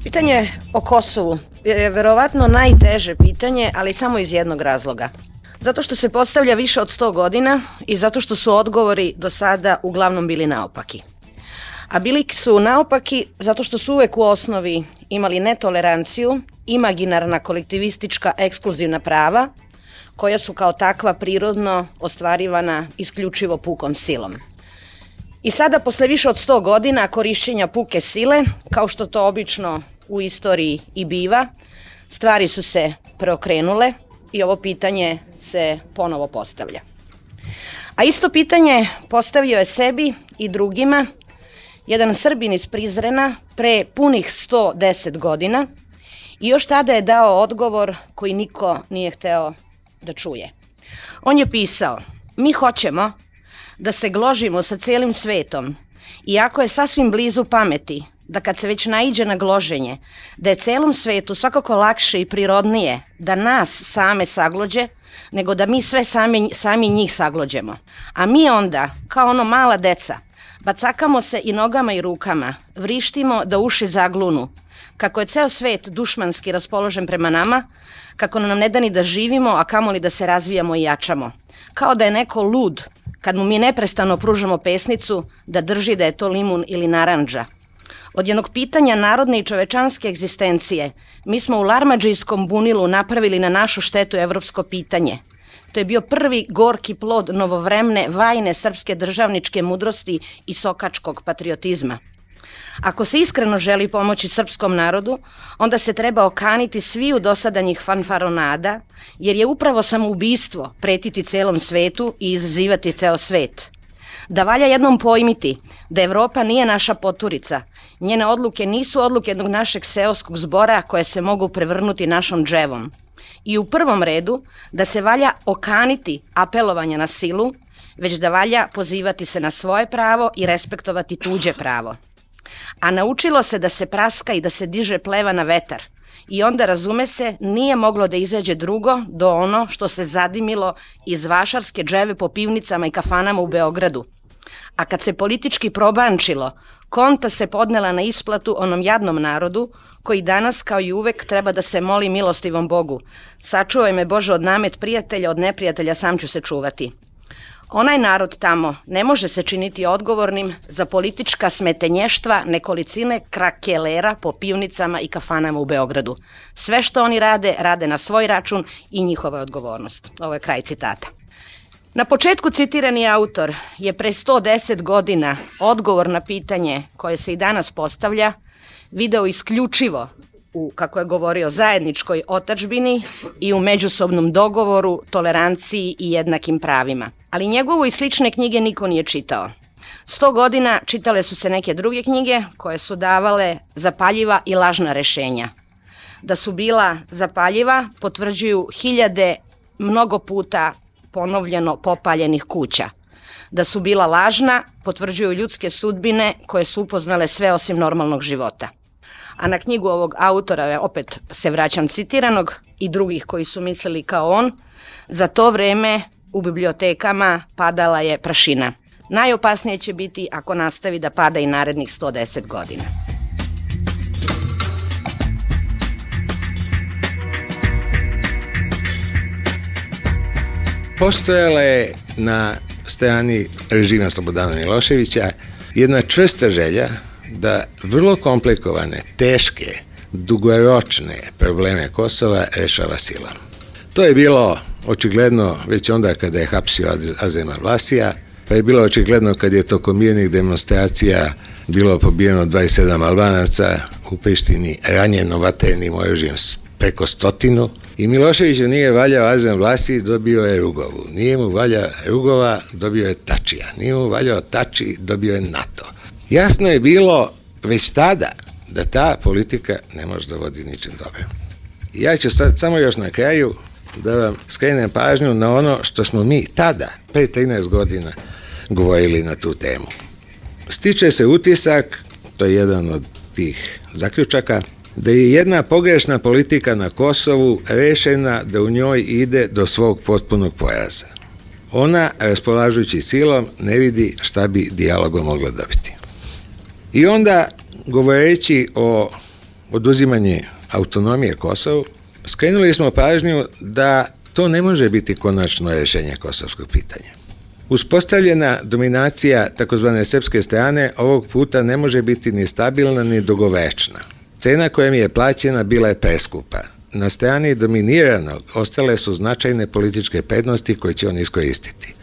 Pitanje o Kosovu je verovatno najteže pitanje, ali samo iz jednog razloga. Zato što se postavlja više od sto godina i zato što su odgovori do sada uglavnom bili naopaki. A bili su naopaki zato što su uvek u osnovi imali netoleranciju, imaginarna kolektivistička ekskluzivna prava, koja su kao takva prirodno ostvarivana isključivo pukom silom. I sada, posle više od sto godina korišćenja puke sile, kao što to obično u istoriji i biva, stvari su se preokrenule i ovo pitanje se ponovo postavlja. A isto pitanje postavio je sebi i drugima jedan Srbin iz Prizrena pre punih sto deset godina i još tada je dao odgovor koji niko nije hteo da čuje. On je pisao: mi hoćemo da se gložimo sa celim svetom, iako je sasvim blizu pameti da kad se već naiđe na gloženje, da je celom svetu svakako lakše i prirodnije da nas same saglođe, nego da mi sve sami, sami njih saglođemo. A mi onda, kao ono mala deca, bacakamo se i nogama i rukama, vrištimo da uši zaglunu, kako je ceo svet dušmanski raspoložen prema nama, kako nam ne da ni da živimo, a kamoli da se razvijamo i jačamo. Kao da je neko lud, kad mu mi neprestano pružamo pesnicu, da drži da je to limun ili narandža. Od jednog pitanja narodne i čovečanske egzistencije, mi smo u larmadžijskom bunilu napravili na našu štetu evropsko pitanje. To je bio prvi gorki plod novovremne, vajne srpske državničke mudrosti i sokačkog patriotizma. Ako se iskreno želi pomoći srpskom narodu, onda se treba okaniti sviju dosadanjih fanfaronada, jer je upravo samoubistvo pretiti celom svetu i izazivati ceo svet. Da valja jednom pojmiti da Evropa nije naša poturica, njene odluke nisu odluke jednog našeg seoskog zbora koje se mogu prevrnuti našom dževom. I u prvom redu da se valja okaniti apelovanja na silu, već da valja pozivati se na svoje pravo i respektovati tuđe pravo. A naučilo se da se praska i da se diže pleva na vetar. I onda, razume se, nije moglo da izađe drugo do ono što se zadimilo iz vašarske dževe po pivnicama i kafanama u Beogradu. A kad se politički probančilo, konta se podnela na isplatu onom jadnom narodu, koji danas, kao i uvek, treba da se moli milostivom Bogu. Sačuvaj me, Bože, od namet prijatelja, od neprijatelja sam ću se čuvati. Onaj narod tamo ne može se činiti odgovornim za politička smetenještva nekolicine krakelera po pivnicama i kafanama u Beogradu. Sve što oni rade, rade na svoj račun i njihova odgovornost. Ovo je kraj citata. Na početku citirani autor je pre sto deset godina odgovor na pitanje koje se i danas postavlja video isključivo u, kako je govorio, zajedničkoj otadžbini i u međusobnom dogovoru, toleranciji i jednakim pravima. Ali njegovu i slične knjige niko nije čitao. Sto godina čitale su se neke druge knjige koje su davale zapaljiva i lažna rešenja. Da su bila zapaljiva potvrđuju hiljade mnogo puta ponovljeno popaljenih kuća. Da su bila lažna potvrđuju ljudske sudbine koje su upoznale sve osim normalnog života. A na knjigu ovog autora, opet se vraćam citiranog, i drugih koji su mislili kao on, za to vreme u bibliotekama padala je prašina. Najopasnije će biti ako nastavi da pada i narednih sto deset godina. Postojala je na strani režima Slobodana Miloševića jedna čvrsta želja da vrlo komplikovane, teške, dugoročne probleme Kosova rešava silom. To je bilo očigledno već onda kada je hapsio Azema Vlasija, pa je bilo očigledno kad je tokom mirnih demonstracija bilo pobijeno dvadeset sedam Albanaca, u Prištini ranjeno vatrenim oružjem preko stotinu, i Miloševiću nije valjao Azem Vlasi, dobio je Rugovu. Nije mu valja Rugova, dobio je Tačija. Nije mu valjao Tači, dobio je NATO. Jasno je bilo već tada da ta politika ne može da vodi ničim dobro. Ja ću sad samo još na kraju da vam skrenem pažnju na ono što smo mi tada, pre trinaest godina, govorili na tu temu. Stiče se utisak, to je jedan od tih zaključaka, da je jedna pogrešna politika na Kosovu rešena da u njoj ide do svog potpunog poraza. Ona, raspolažući silom, ne vidi šta bi dijalogom mogla dobiti. I onda, govoreći o oduzimanju autonomije Kosovu, skrenuli smo pažnju da to ne može biti konačno rešenje kosovskog pitanja. Uspostavljena dominacija takozvane srpske strane ovog puta ne može biti ni stabilna ni dugovečna. Cena koja mi je plaćena bila je preskupa. Na strani dominiranog ostale su značajne političke prednosti koje će on iskoristiti.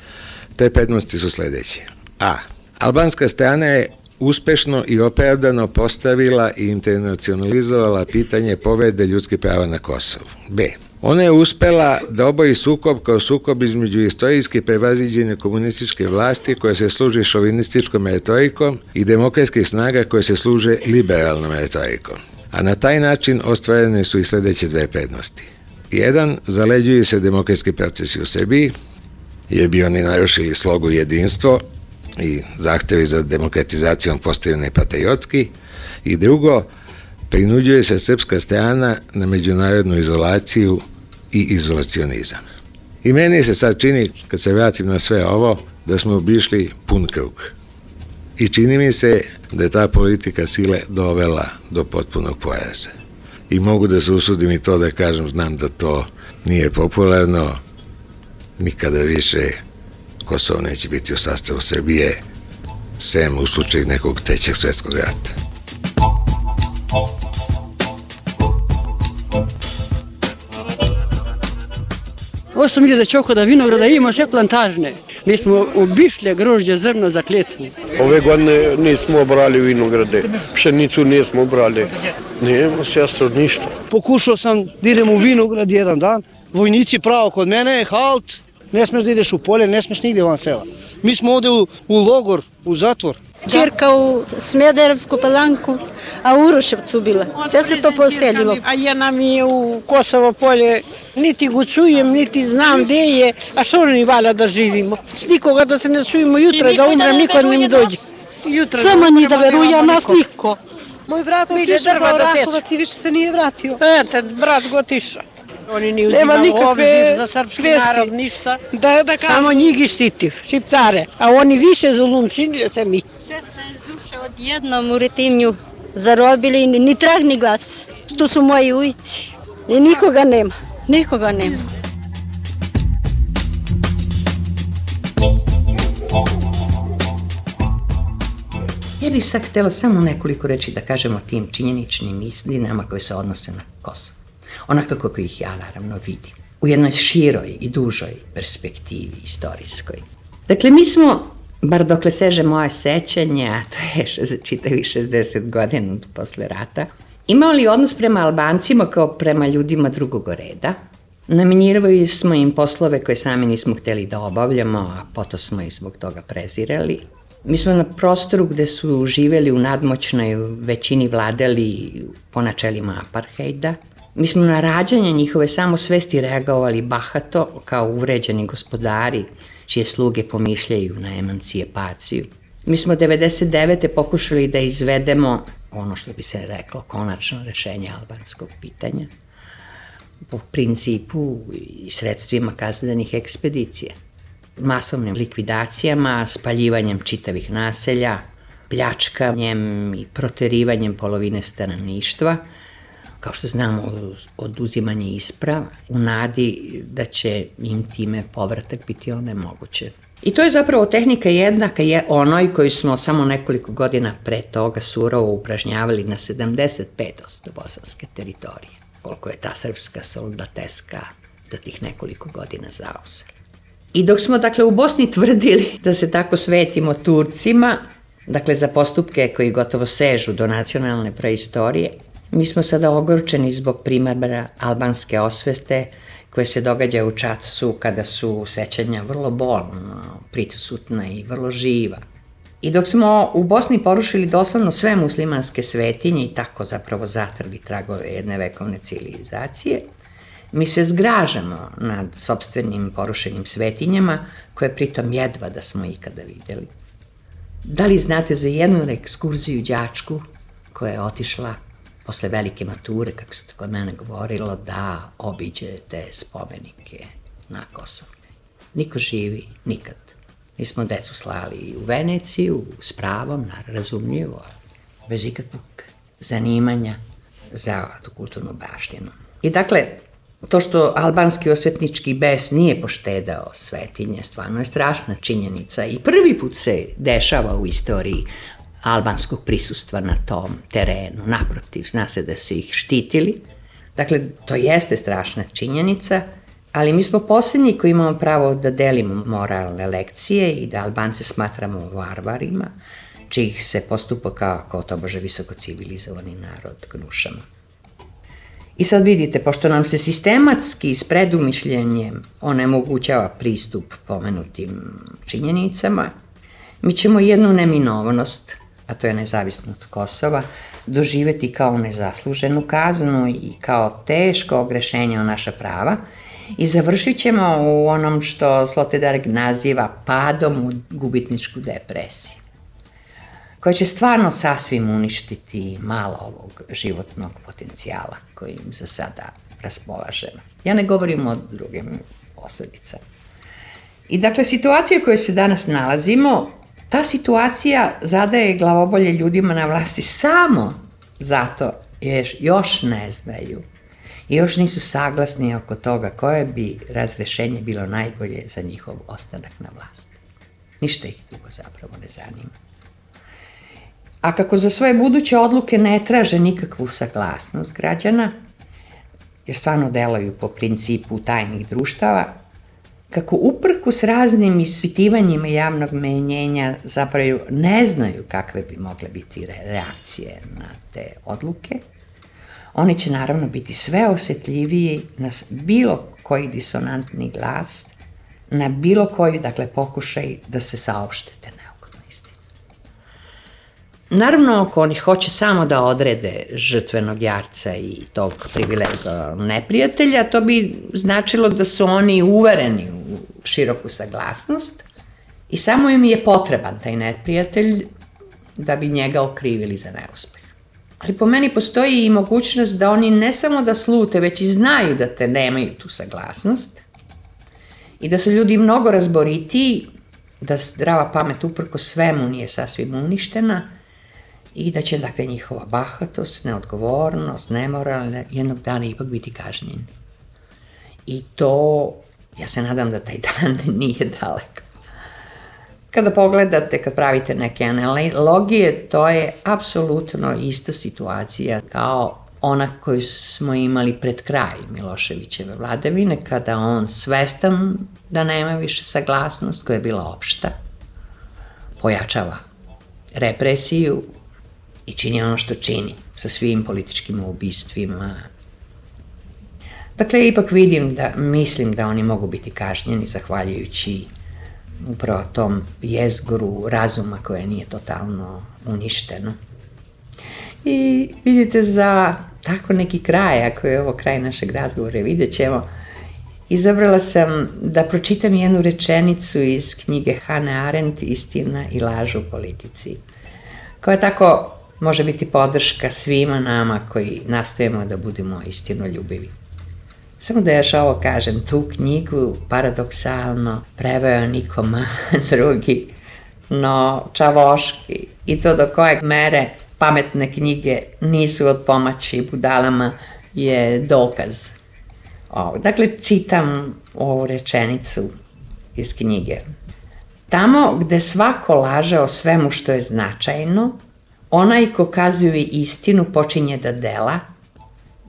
Te prednosti su sledeće. A. Albanska strana je uspešno i opravdano postavila i internacionalizovala pitanje povrede ljudskih prava na Kosovu. B. Ona je uspela da oboji sukob kao sukob između istorijski prevaziđene komunističke vlasti koje se služi šovinističkom retorikom i demokratskih snaga koje se služe liberalnom retorikom. A na taj način ostvarene su i sledeće dve prednosti. Jedan, zaleđuju se demokratski procesi u Srbiji, jer bi oni narušili slogu i jedinstvo i zahtevi za demokratizacijom postaju nepatriotski. I drugo, prinuđuje se srpska strana na međunarodnu izolaciju i izolacionizam. I meni se sad čini, kad se vratim na sve ovo, da smo obišli pun krug. I čini mi se da je ta politika sile dovela do potpunog poraza. I mogu da se usudim i to da kažem, znam da to nije popularno, nikada više Kosovo neće biti u sastavu Srbije, sem u slučaju nekog trećeg svetskog rata. osam hiljada čokoda vinograda ima sve plantažne. Mi smo obišli grožđe zrno za kletvu. Ove godine nismo obrali vinograde, pšenicu nismo obrali. Nijemo sestro ništa. Pokušao sam da idem u vinograd jedan dan, vojnici pravo kod mene, halt, ne smeš da ideš u polje, ne smeš nigde van sela. Mi smo ovde u, u logor, u zatvor. Čerka u Smederevsku Palanku, a u Uroševcu bila. Sve se to poselilo. A jedna mi je u Kosovo polje, niti go čujem, niti znam gde je, a što ni valja da živimo. S nikoga da se ne čujemo jutra, da umrem, niko ne mi dođe. Samo ni da veruje, a nas niko. Moj brat otišao za Orahovac i više se nije vratio. Eto, brat go otišao. Oni ne uzimaju obzir za srpski narod, ništa. Da, da samo njih štitiv, šiptare. A oni više zulum činili se mi. šesnaest duše odjednom u Retimnju zarobili, ni trag ni glas. Tu su moji ujci i nikoga nema, nikoga nema. Ja bih sad htjela samo nekoliko reći da kažem o tim činjeničnim istinama koje se odnose na Kosovo. Onako kako ih ja naravno vidim. U jednoj široj i dužoj perspektivi istorijskoj. Dakle, mi smo, bar dokle seže moje sećanje, a to je čitavi šezdeset godina posle rata, imali odnos prema Albancima kao prema ljudima drugog reda. Namenjivali smo im poslove koje sami nismo hteli da obavljamo, a potom smo ih zbog toga prezirali. Mi smo na prostoru gde su živeli u nadmoćnoj većini vladali po načelima aparthejda. Mi smo na rađanje njihove samosvesti reagovali bahato kao uvređeni gospodari čije sluge pomišljaju na emancipaciju. Mi smo devedeset devete pokušali da izvedemo ono što bi se reklo konačno rešenje albanskog pitanja po principu i sredstvima kaznenih ekspedicija. Masovnim likvidacijama, spaljivanjem čitavih naselja, pljačkanjem i proterivanjem polovine stanovništva, kao što znamo, oduzimanje isprava, u nadi da će im time povratak biti onemoguće. I to je zapravo tehnika jednaka je onoj koju smo samo nekoliko godina pre toga surovo upražnjavali na sedamdeset pet posto bosanske teritorije, koliko je ta srpska soldateska da tih nekoliko godina zauzela. I dok smo, dakle, u Bosni tvrdili da se tako svetimo Turcima, dakle, za postupke koji gotovo sežu do nacionalne preistorije, mi smo sada ogorčeni zbog primjera albanske osveste koje se događa u Čacu kada su sećanja vrlo bolno, prisutna i vrlo živa. I dok smo u Bosni porušili doslovno sve muslimanske svetinje i tako zapravo zatrli tragove jedne vekovne civilizacije, mi se zgražamo nad sopstvenim porušenim svetinjama, koje pritom jedva da smo ikada videli. Da li znate za jednu ekskurziju đačku koja je otišla posle velike mature, kako se kod mene govorilo, da obiđe te spomenike na Kosovu? Niko živi, nikad. Mi smo decu slali u Veneciju s pravom, razumljivo, bez ikakvog zanimanja za tu kulturnu baštinu. I dakle, to što albanski osvetnički bes nije poštedao svetinje, stvarno je strašna činjenica i prvi put se dešava u istoriji albanskog prisustva na tom terenu. Naprotiv, zna se da su ih štitili. Dakle, to jeste strašna činjenica, ali mi smo posljednji koji imamo pravo da delimo moralne lekcije i da Albance smatramo varvarima, čijih se postupa kao, kao tobože visoko civilizovani narod gnušamo. I sad vidite, pošto nam se sistematski s predumišljenjem onemogućava pristup pomenutim činjenicama, mi ćemo jednu neminovnost, a to je nezavisnost Kosova, doživeti kao nezasluženu kaznu i kao teško ogrešenje o naša prava i završit ćemo u onom što Sloterdijk naziva padom u gubitničku depresiju, koja će stvarno sasvim uništiti malo ovog životnog potencijala kojim za sada raspolažemo. Ja ne govorim o drugim posledicama. I dakle, situacija u kojoj se danas nalazimo, ta situacija zadaje glavobolje ljudima na vlasti samo zato jer još ne znaju i još nisu saglasni oko toga koje bi razrešenje bilo najbolje za njihov ostanak na vlasti. Ništa ih dugo zapravo ne zanima. A kako za svoje buduće odluke ne traže nikakvu saglasnost građana, jer stvarno delaju po principu tajnih društava, kako uprkos raznim ispitivanjima javnog menjenja zapravo ne znaju kakve bi mogle biti reakcije na te odluke, oni će naravno biti sve osjetljiviji na bilo koji disonantni glas, na bilo koji, dakle, pokušaj da se saopšte te neophodne istine. Naravno, ako oni hoće samo da odrede žrtvenog jarca i tog privilegovanog neprijatelja, to bi značilo da su oni uvereni u široku saglasnost i samo im je potreban taj neprijatelj da bi njega okrivili za neuspeh. Ali po meni postoji i mogućnost da oni ne samo da slute, već i znaju da te nemaju tu saglasnost i da su ljudi mnogo razboritiji, da zdrava pamet uprko svemu nije sasvim uništena i da će, dakle, njihova bahatost, neodgovornost, nemoralne jednog dana ipak biti kažnjeni. I to, ja se nadam da taj dan nije daleko. Kada pogledate, kad pravite neke analogije, to je apsolutno ista situacija kao ona koju smo imali pred kraj Miloševićeve vladavine, kada on svestan da nema više saglasnost, koja je bila opšta, pojačava represiju i čini ono što čini sa svim političkim ubistvima. Dakle, ipak vidim da, mislim da oni mogu biti kažnjeni zahvaljujući upravo tom jezgoru razuma koje nije totalno uništeno. I vidite, za tako neki kraj, ako je ovo kraj našeg razgovora, vidjet ćemo, izabrala sam da pročitam jednu rečenicu iz knjige Hannah Arendt, Istina i laž u politici, koja tako može biti podrška svima nama koji nastojimo da budemo istinoljubivi. Samo da još ovo kažem, tu knjigu paradoksalno preveo niko drugi, no Čavoški, i to do kojeg mere pametne knjige nisu od pomoći budalama je dokaz. Ovo. Dakle, čitam ovu rečenicu iz knjige. Tamo gde svako laže o svemu što je značajno, onaj ko kazuje istinu počinje da dela,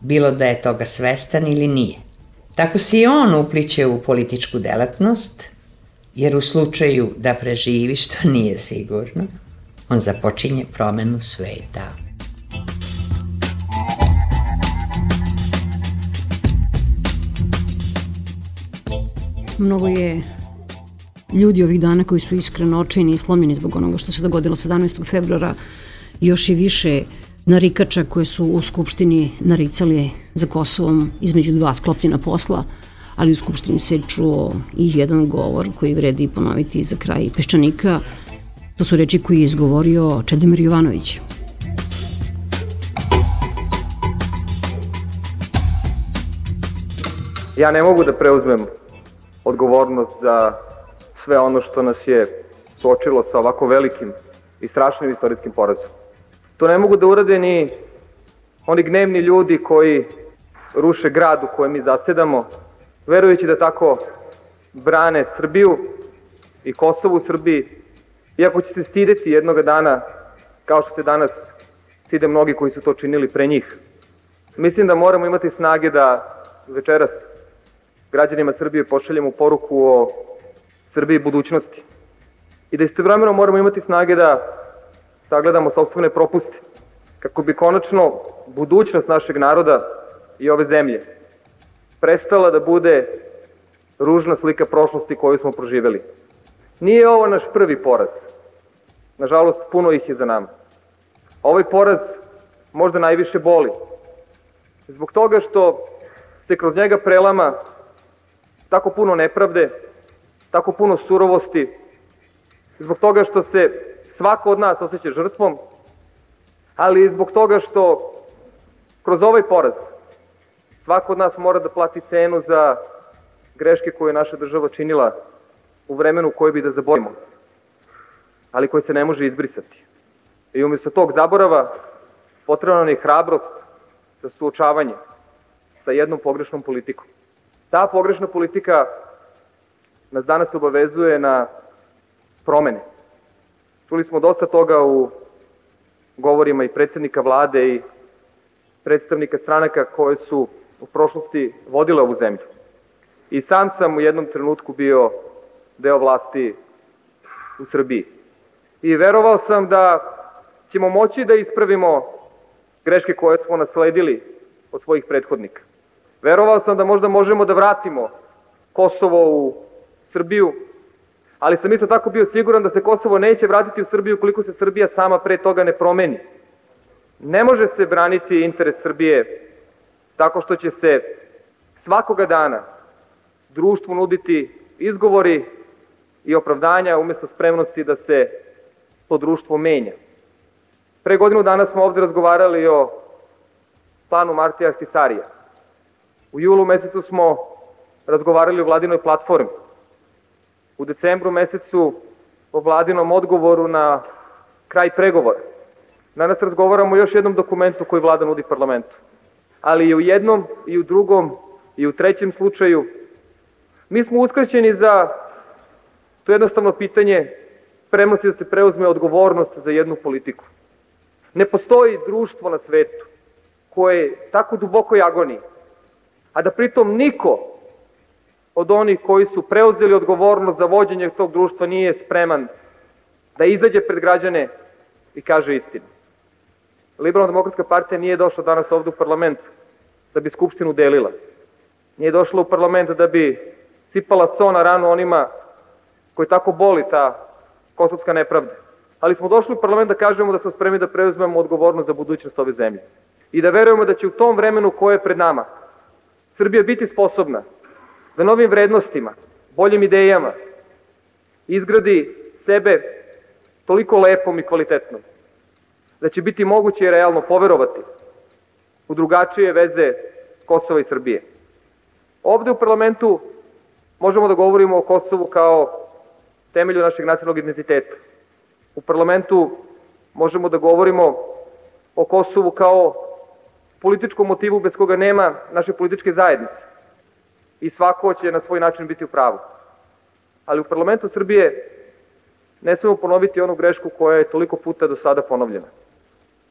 bilo da je toga svestan ili nije. Tako se i on upliče u političku delatnost, jer u slučaju da preživi, što nije sigurno, on započinje promenu sveta. Mnogo je ljudi ovih dana koji su iskreno očajni i slomljeni zbog onoga što se dogodilo sedamnaestog februara, još i više narikača koje su u Skupštini naricali za Kosovom između dva sklopljena posla, ali u Skupštini se čuo i jedan govor koji vredi ponoviti za kraj Peščanika. To su reči koje je izgovorio Čedomir Jovanović. Ja ne mogu da preuzmem odgovornost za sve ono što nas je suočilo sa ovako velikim i strašnim istorijskim porazom. To ne mogu da urade ni oni gnevni ljudi koji ruše grad u kojem mi zasedamo, verujući da tako brane Srbiju i Kosovo u Srbiji, iako će se stideti jednoga dana, kao što se danas stide mnogi koji su to činili pre njih. Mislim da moramo imati snage da večeras građanima Srbije pošaljemo poruku o Srbiji budućnosti i da istovremeno moramo imati snage da sagledamo sopstvene propuste, kako bi konačno budućnost našeg naroda i ove zemlje prestala da bude ružna slika prošlosti koju smo proživeli. Nije ovo naš prvi poraz. Nažalost, puno ih je za nama. Ovaj poraz možda najviše boli. Zbog toga što se kroz njega prelama tako puno nepravde, tako puno surovosti, zbog toga što se svako od nas osjeća žrtvom, ali i zbog toga što kroz ovaj poraz svako od nas mora da plati cenu za greške koje je naša država činila u vremenu koje bi da zaboravimo, ali koje se ne može izbrisati. I umjesto tog zaborava potrebna nam je hrabrost za suočavanje sa jednom pogrešnom politikom. Ta pogrešna politika nas danas obavezuje na promene. Čuli smo dosta toga u govorima i predsjednika vlade i predstavnika stranaka koje su u prošlosti vodile ovu zemlju. I sam sam u jednom trenutku bio deo vlasti u Srbiji. I verovao sam da ćemo moći da ispravimo greške koje smo nasledili od svojih prethodnika. Verovao sam da možda možemo da vratimo Kosovo u Srbiju, ali sam isto tako bio siguran da se Kosovo neće vratiti u Srbiju ukoliko se Srbija sama pre toga ne promeni. Ne može se braniti interes Srbije tako što će se svakoga dana društvu nuditi izgovori i opravdanja umjesto spremnosti da se to društvo menja. Pre godinu dana smo ovde razgovarali o planu Martija Ahtisarija. U julu mesecu smo razgovarali o vladinoj platformi. U decembru mesecu o vladinom odgovoru na kraj pregovora. Danas razgovaramo o još jednom dokumentu koji vlada nudi parlamentu. Ali i u jednom, i u drugom, i u trećem slučaju mi smo uskraćeni za to jednostavno pitanje spremnosti da se preuzme odgovornost za jednu politiku. Ne postoji društvo na svetu koje je tako dubokoj agoniji, a da pritom niko od onih koji su preuzeli odgovornost za vođenje tog društva nije spreman da izađe pred građane i kaže istinu. Liberalno-demokratska partija nije došla danas ovde u parlament da bi Skupštinu delila. Nije došla u parlament da bi sipala so na ranu onima koji tako boli ta kosovska nepravda. Ali smo došli u parlament da kažemo da smo spremni da preuzmemo odgovornost za budućnost ove zemlje. I da verujemo da će u tom vremenu koje je pred nama Srbija biti sposobna da novim vrednostima, boljim idejama izgradi sebe toliko lepom i kvalitetnom, da će biti moguće i realno poverovati u drugačije veze Kosova i Srbije. Ovde u parlamentu možemo da govorimo o Kosovu kao temelju našeg nacionalnog identiteta. U parlamentu možemo da govorimo o Kosovu kao političkom motivu bez koga nema naše političke zajednice. I svako će na svoj način biti u pravu. Ali u parlamentu Srbije ne smemo ponoviti onu grešku koja je toliko puta do sada ponovljena.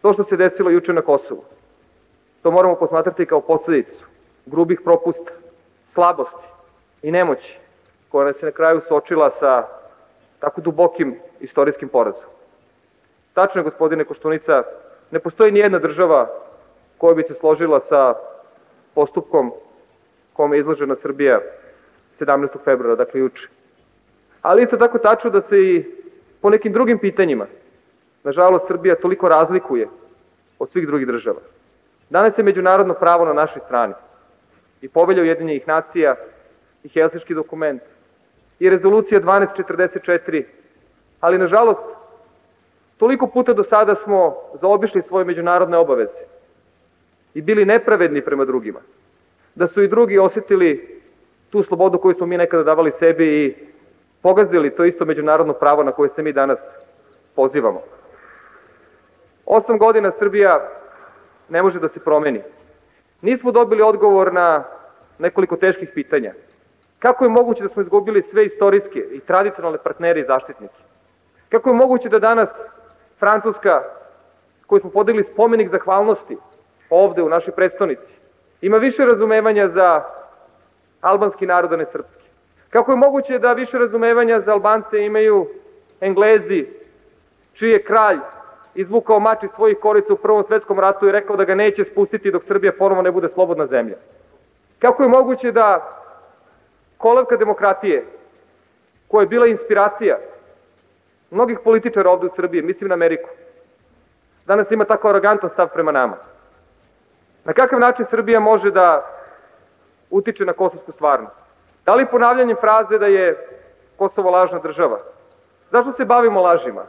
To što se desilo juče na Kosovu, to moramo posmatrati kao posledicu grubih propusta, slabosti i nemoći koja nas je na kraju suočila sa tako dubokim istorijskim porazom. Tačno je, gospodine Koštunica, ne postoji nijedna država koja bi se složila sa postupkom kome je izložena Srbija sedamnaestog februara, dakle juče. Ali isto tako tačno da se i po nekim drugim pitanjima, nažalost, Srbija toliko razlikuje od svih drugih država. Danas je međunarodno pravo na našoj strani. I Povelja Ujedinjenih nacija, i Helsinški dokument, i rezolucija dvanaest četrdeset četiri, ali nažalost, toliko puta do sada smo zaobišli svoje međunarodne obaveze i bili nepravedni prema drugima, da su i drugi osjetili tu slobodu koju smo mi nekada davali sebi i pogazili to isto međunarodno pravo na koje se mi danas pozivamo. Osam godina Srbija ne može da se promeni. Nismo dobili odgovor na nekoliko teških pitanja. Kako je moguće da smo izgubili sve istorijske i tradicionalne partnere i zaštitnike? Kako je moguće da danas Francuska, koju smo podigli spomenik zahvalnosti ovde u našoj predstavnici, ima više razumevanja za albanski narod, a ne srpski? Kako je moguće da više razumevanja za Albance imaju Englezi, čiji je kralj izvukao mač iz svojih korica u Prvom svetskom ratu i rekao da ga neće spustiti dok Srbija ponovo ne bude slobodna zemlja? Kako je moguće da kolevka demokratije, koja je bila inspiracija mnogih političara ovde u Srbiji, mislim na Ameriku, danas ima tako arogantan stav prema nama? Na kakav način Srbija može da utiče na kosovsku stvarnost? Da li ponavljanjem fraze da je Kosovo lažna država? Zašto se bavimo lažima?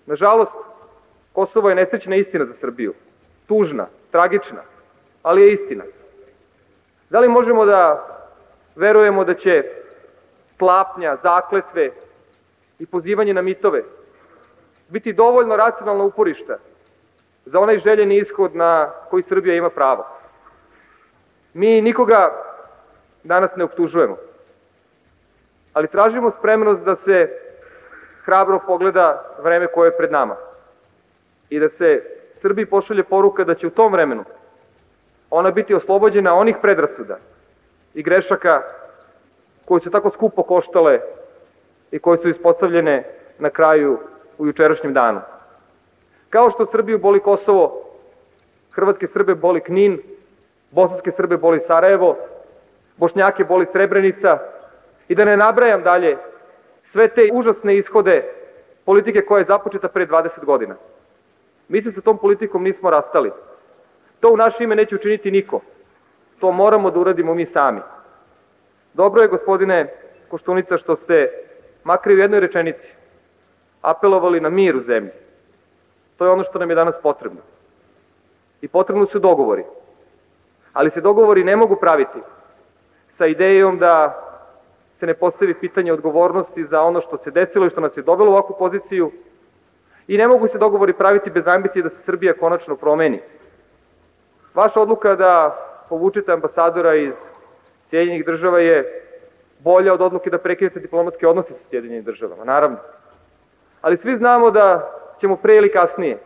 Nažalost, Kosovo je nesrećna istina za Srbiju. Tužna, tragična, ali je istina. Da li možemo da verujemo da će tlapnja, zakletve i pozivanje na mitove biti dovoljno racionalno uporišta za onaj željeni ishod na koji Srbija ima pravo? Mi nikoga danas ne optužujemo, ali tražimo spremnost da se hrabro pogleda vreme koje je pred nama i da se Srbiji pošalje poruka da će u tom vremenu ona biti oslobođena onih predrasuda i grešaka koje su tako skupo koštale i koje su ispostavljene na kraju u jučerašnjem danu. Kao što Srbiju boli Kosovo, hrvatske Srbe boli Knin, bosanske Srbe boli Sarajevo, Bošnjake boli Srebrenica i da ne nabrajam dalje sve te užasne ishode politike koja je započeta pre dvadeset godina. Mi se sa tom politikom nismo rastali. To u naše ime neće učiniti niko. To moramo da uradimo mi sami. Dobro je, gospodine Koštunica, što ste makar u jednoj rečenici apelovali na mir u zemlji. To je ono što nam je danas potrebno. I potrebno su dogovori. Ali se dogovori ne mogu praviti sa idejom da se ne postavi pitanje odgovornosti za ono što se desilo i što nas je dovelo u ovakvu poziciju. I ne mogu se dogovori praviti bez ambicije da se Srbija konačno promeni. Vaša odluka da povučete ambasadora iz Sjedinjenih država je bolja od odluke da prekinete diplomatske odnose sa Sjedinjenim državama, naravno. Ali svi znamo da ćemo pre ili kasnije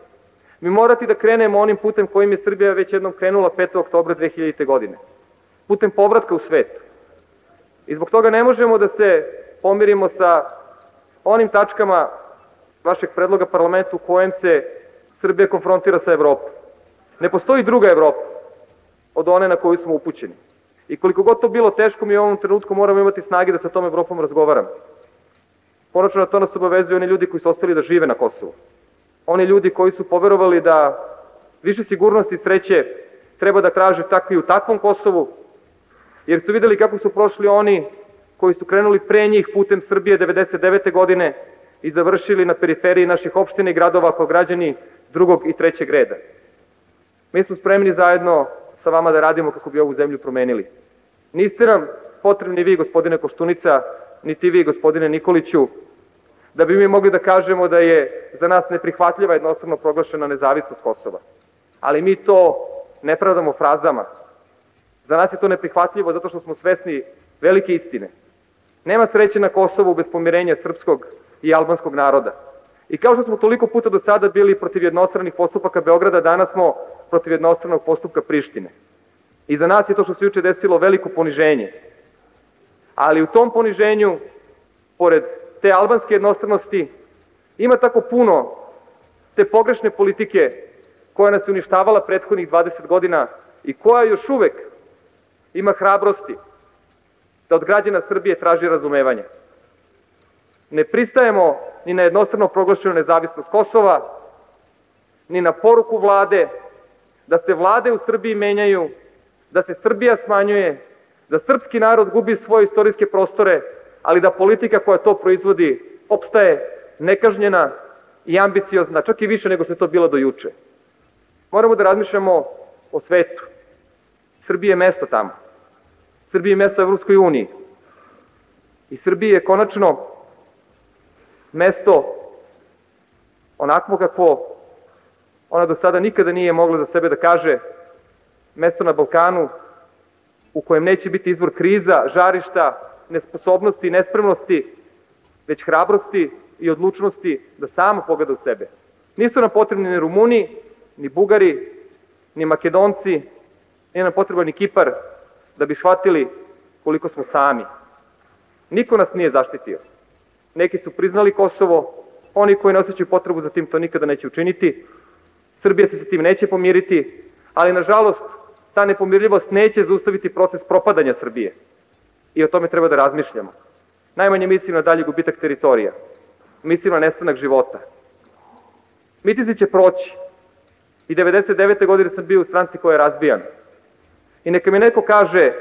mi morati da krenemo onim putem kojim je Srbija već jednom krenula petog oktobra dve hiljadite. godine. Putem povratka u svet. I zbog toga ne možemo da se pomirimo sa onim tačkama vašeg predloga parlamentu u kojem se Srbija konfrontira sa Evropom. Ne postoji druga Evropa od one na koju smo upućeni. I koliko god to bilo teško, mi u ovom trenutku moramo imati snage da sa tom Evropom razgovaramo. Konačno na to nas obavezuju oni ljudi koji su ostali da žive na Kosovu. Oni ljudi koji su poverovali da više sigurnosti i sreće treba da traže takvi u takvom Kosovu, jer su videli kako su prošli oni koji su krenuli pre njih putem Srbije devedeset devete. godine i završili na periferiji naših opština i gradova kao građani drugog i trećeg reda. Mi smo spremni zajedno sa vama da radimo kako bi ovu zemlju promenili. Niste nam potrebni vi, gospodine Koštunica, niti vi, gospodine Nikoliću, da bi mi mogli da kažemo da je za nas neprihvatljiva jednostavno proglašena nezavisnost Kosova. Ali mi to ne pravdamo frazama. Za nas je to neprihvatljivo zato što smo svesni velike istine. Nema sreće na Kosovu bez pomirenja srpskog i albanskog naroda. I kao što smo toliko puta do sada bili protiv jednostranih postupaka Beograda, danas smo protiv jednostranog postupka Prištine. I za nas je to što se juče desilo veliko poniženje. Ali u tom poniženju, pored te albanske jednostranosti, ima tako puno te pogrešne politike koja nas je uništavala prethodnih dvadeset godina i koja još uvek ima hrabrosti da od građana Srbije traži razumevanje. Ne pristajemo ni na jednostrano proglašenu nezavisnost Kosova, ni na poruku vlade da se vlade u Srbiji menjaju, da se Srbija smanjuje, da srpski narod gubi svoje istorijske prostore, ali da politika koja to proizvodi opstaje nekažnjena i ambiciozna, čak i više nego što je to bilo do juče. Moramo da razmišljamo o svetu. Srbiji je mesto tamo. Srbiji je mesto u Evropskoj uniji. I Srbiji je konačno mesto onako kakvo ona do sada nikada nije mogla za sebe da kaže, mesto na Balkanu u kojem neće biti izvor kriza, žarišta, nesposobnosti, nespremnosti, već hrabrosti i odlučnosti da samo pogleda u sebe. Nisu nam potrebni ni Rumuni, ni Bugari, ni Makedonci, nije nam potreban ni Kipar da bi shvatili koliko smo sami. Niko nas nije zaštitio. Neki su priznali Kosovo, oni koji ne osjećaju potrebu za tim to nikada neće učiniti. Srbija se sa tim neće pomiriti, ali nažalost ta nepomirljivost neće zaustaviti proces propadanja Srbije. I o tome treba da razmišljamo. Najmanje mislim na dalji gubitak teritorija. Mislim na nestanak života. Mitinzi će proći. I devedeset devete godine sam bio u stranci koja je razbijana. I neka mi neko kaže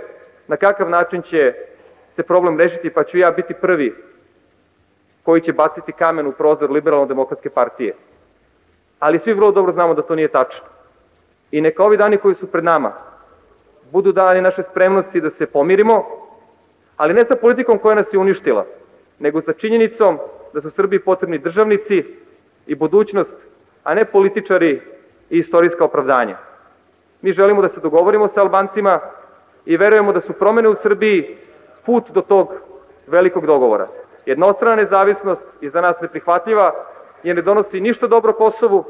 na kakav način će se problem rešiti, pa ću ja biti prvi koji će baciti kamen u prozor Liberalno-demokratske partije. Ali svi vrlo dobro znamo da to nije tačno. I neka ovi dani koji su pred nama budu dani naše spremnosti da se pomirimo, ali ne sa politikom koja nas je uništila, nego sa činjenicom da su Srbiji potrebni državnici i budućnost, a ne političari i istorijska opravdanja. Mi želimo da se dogovorimo sa Albancima i verujemo da su promene u Srbiji put do tog velikog dogovora. Jednostrana nezavisnost je za nas neprihvatljiva jer ne donosi ništa dobro Kosovu,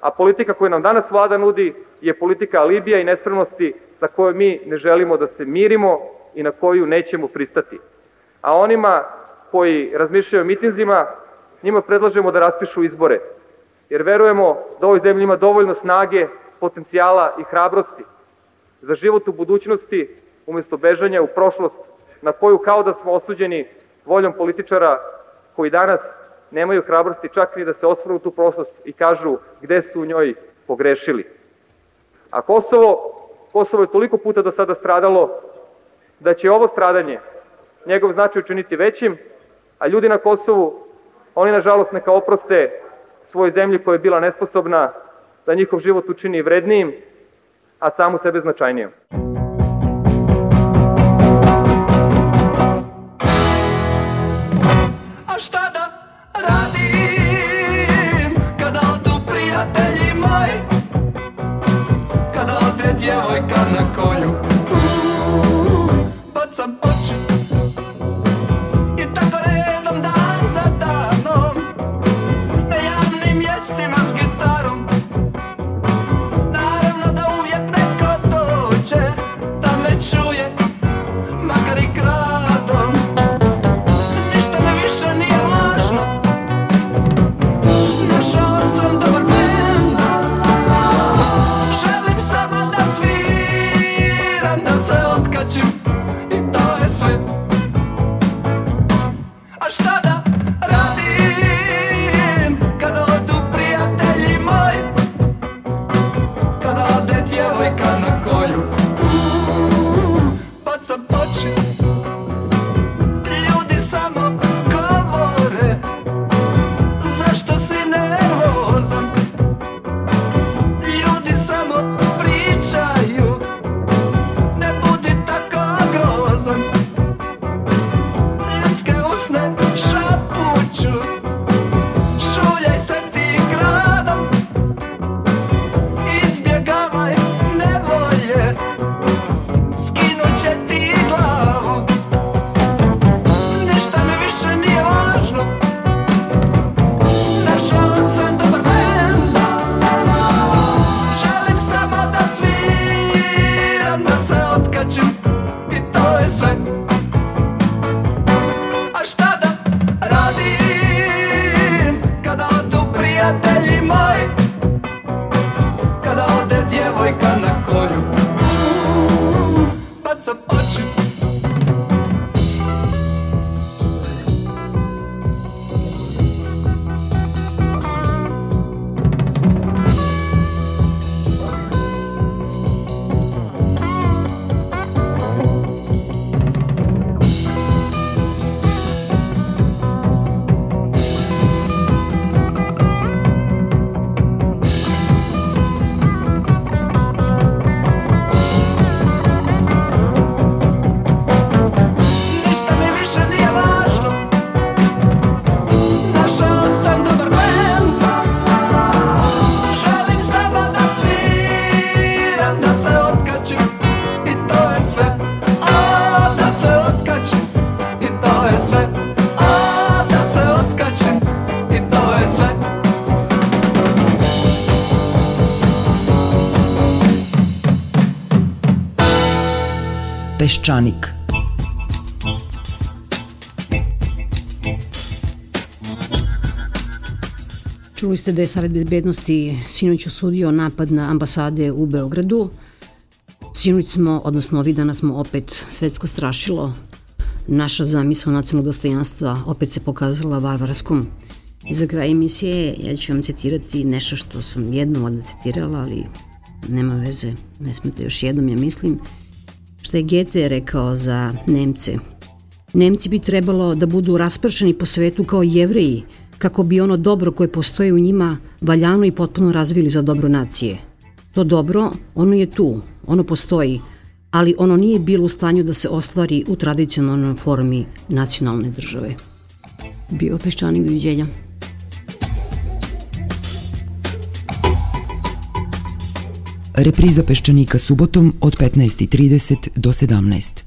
a politika koju nam danas vlada nudi je politika alibija i nespremnosti sa kojoj mi ne želimo da se mirimo i na koju nećemo pristati. A onima koji razmišljaju o mitinzima, njima predlažemo da raspišu izbore, jer verujemo da u ovoj zemlji ima dovoljno snage, potencijala i hrabrosti za život u budućnosti umjesto bežanja u prošlost na koju kao da smo osuđeni voljom političara koji danas nemaju hrabrosti čak ni da se osvrnu u tu prošlost i kažu gde su u njoj pogrešili. A Kosovo, Kosovo je toliko puta do sada stradalo da će ovo stradanje njegov značaj učiniti većim, a ljudi na Kosovu, oni nažalost neka oproste svojoj zemlji koja je bila nesposobna da njihov život učini vrednijim, a samu sebe značajnijom. A šta da radim kada odu prijatelji moji, kada ode djevojka na koju bacam oči i tako redom dan za danom na javnim mjestima s gitarom. Naravno da uvijek neko dođe da me čuje, makar i kradom. Ništa me više nije važno, našao sam dobar bend. Želim samo da sviram, da se otkačim i to je sve. Peščanik. Čuli ste da je Savet bezbednosti sinoć osudio napad na ambasade u Beogradu. Sinoć smo, odnosno ovih dana smo opet svetsko strašilo. Naša zamisla nacionalnog dostojanstva opet se pokazala varvarskom. I za kraj emisije ja ću vam citirati nešto što sam jednom odna citirala, ali nema veze, ne smete još jednom, ja mislim, što je Goethe rekao za Nemce. Nemci bi trebalo da budu raspršeni po svetu kao Jevreji, kako bi ono dobro koje postoje u njima valjano i potpuno razvili za dobro nacije. To dobro, ono je tu, ono postoji, ali ono nije bilo u stanju da se ostvari u tradicionalnoj formi nacionalne države. Bio Peščanik, doviđenja. Repriza Peščanika subotom od petnaest i trideset do sedamnaest.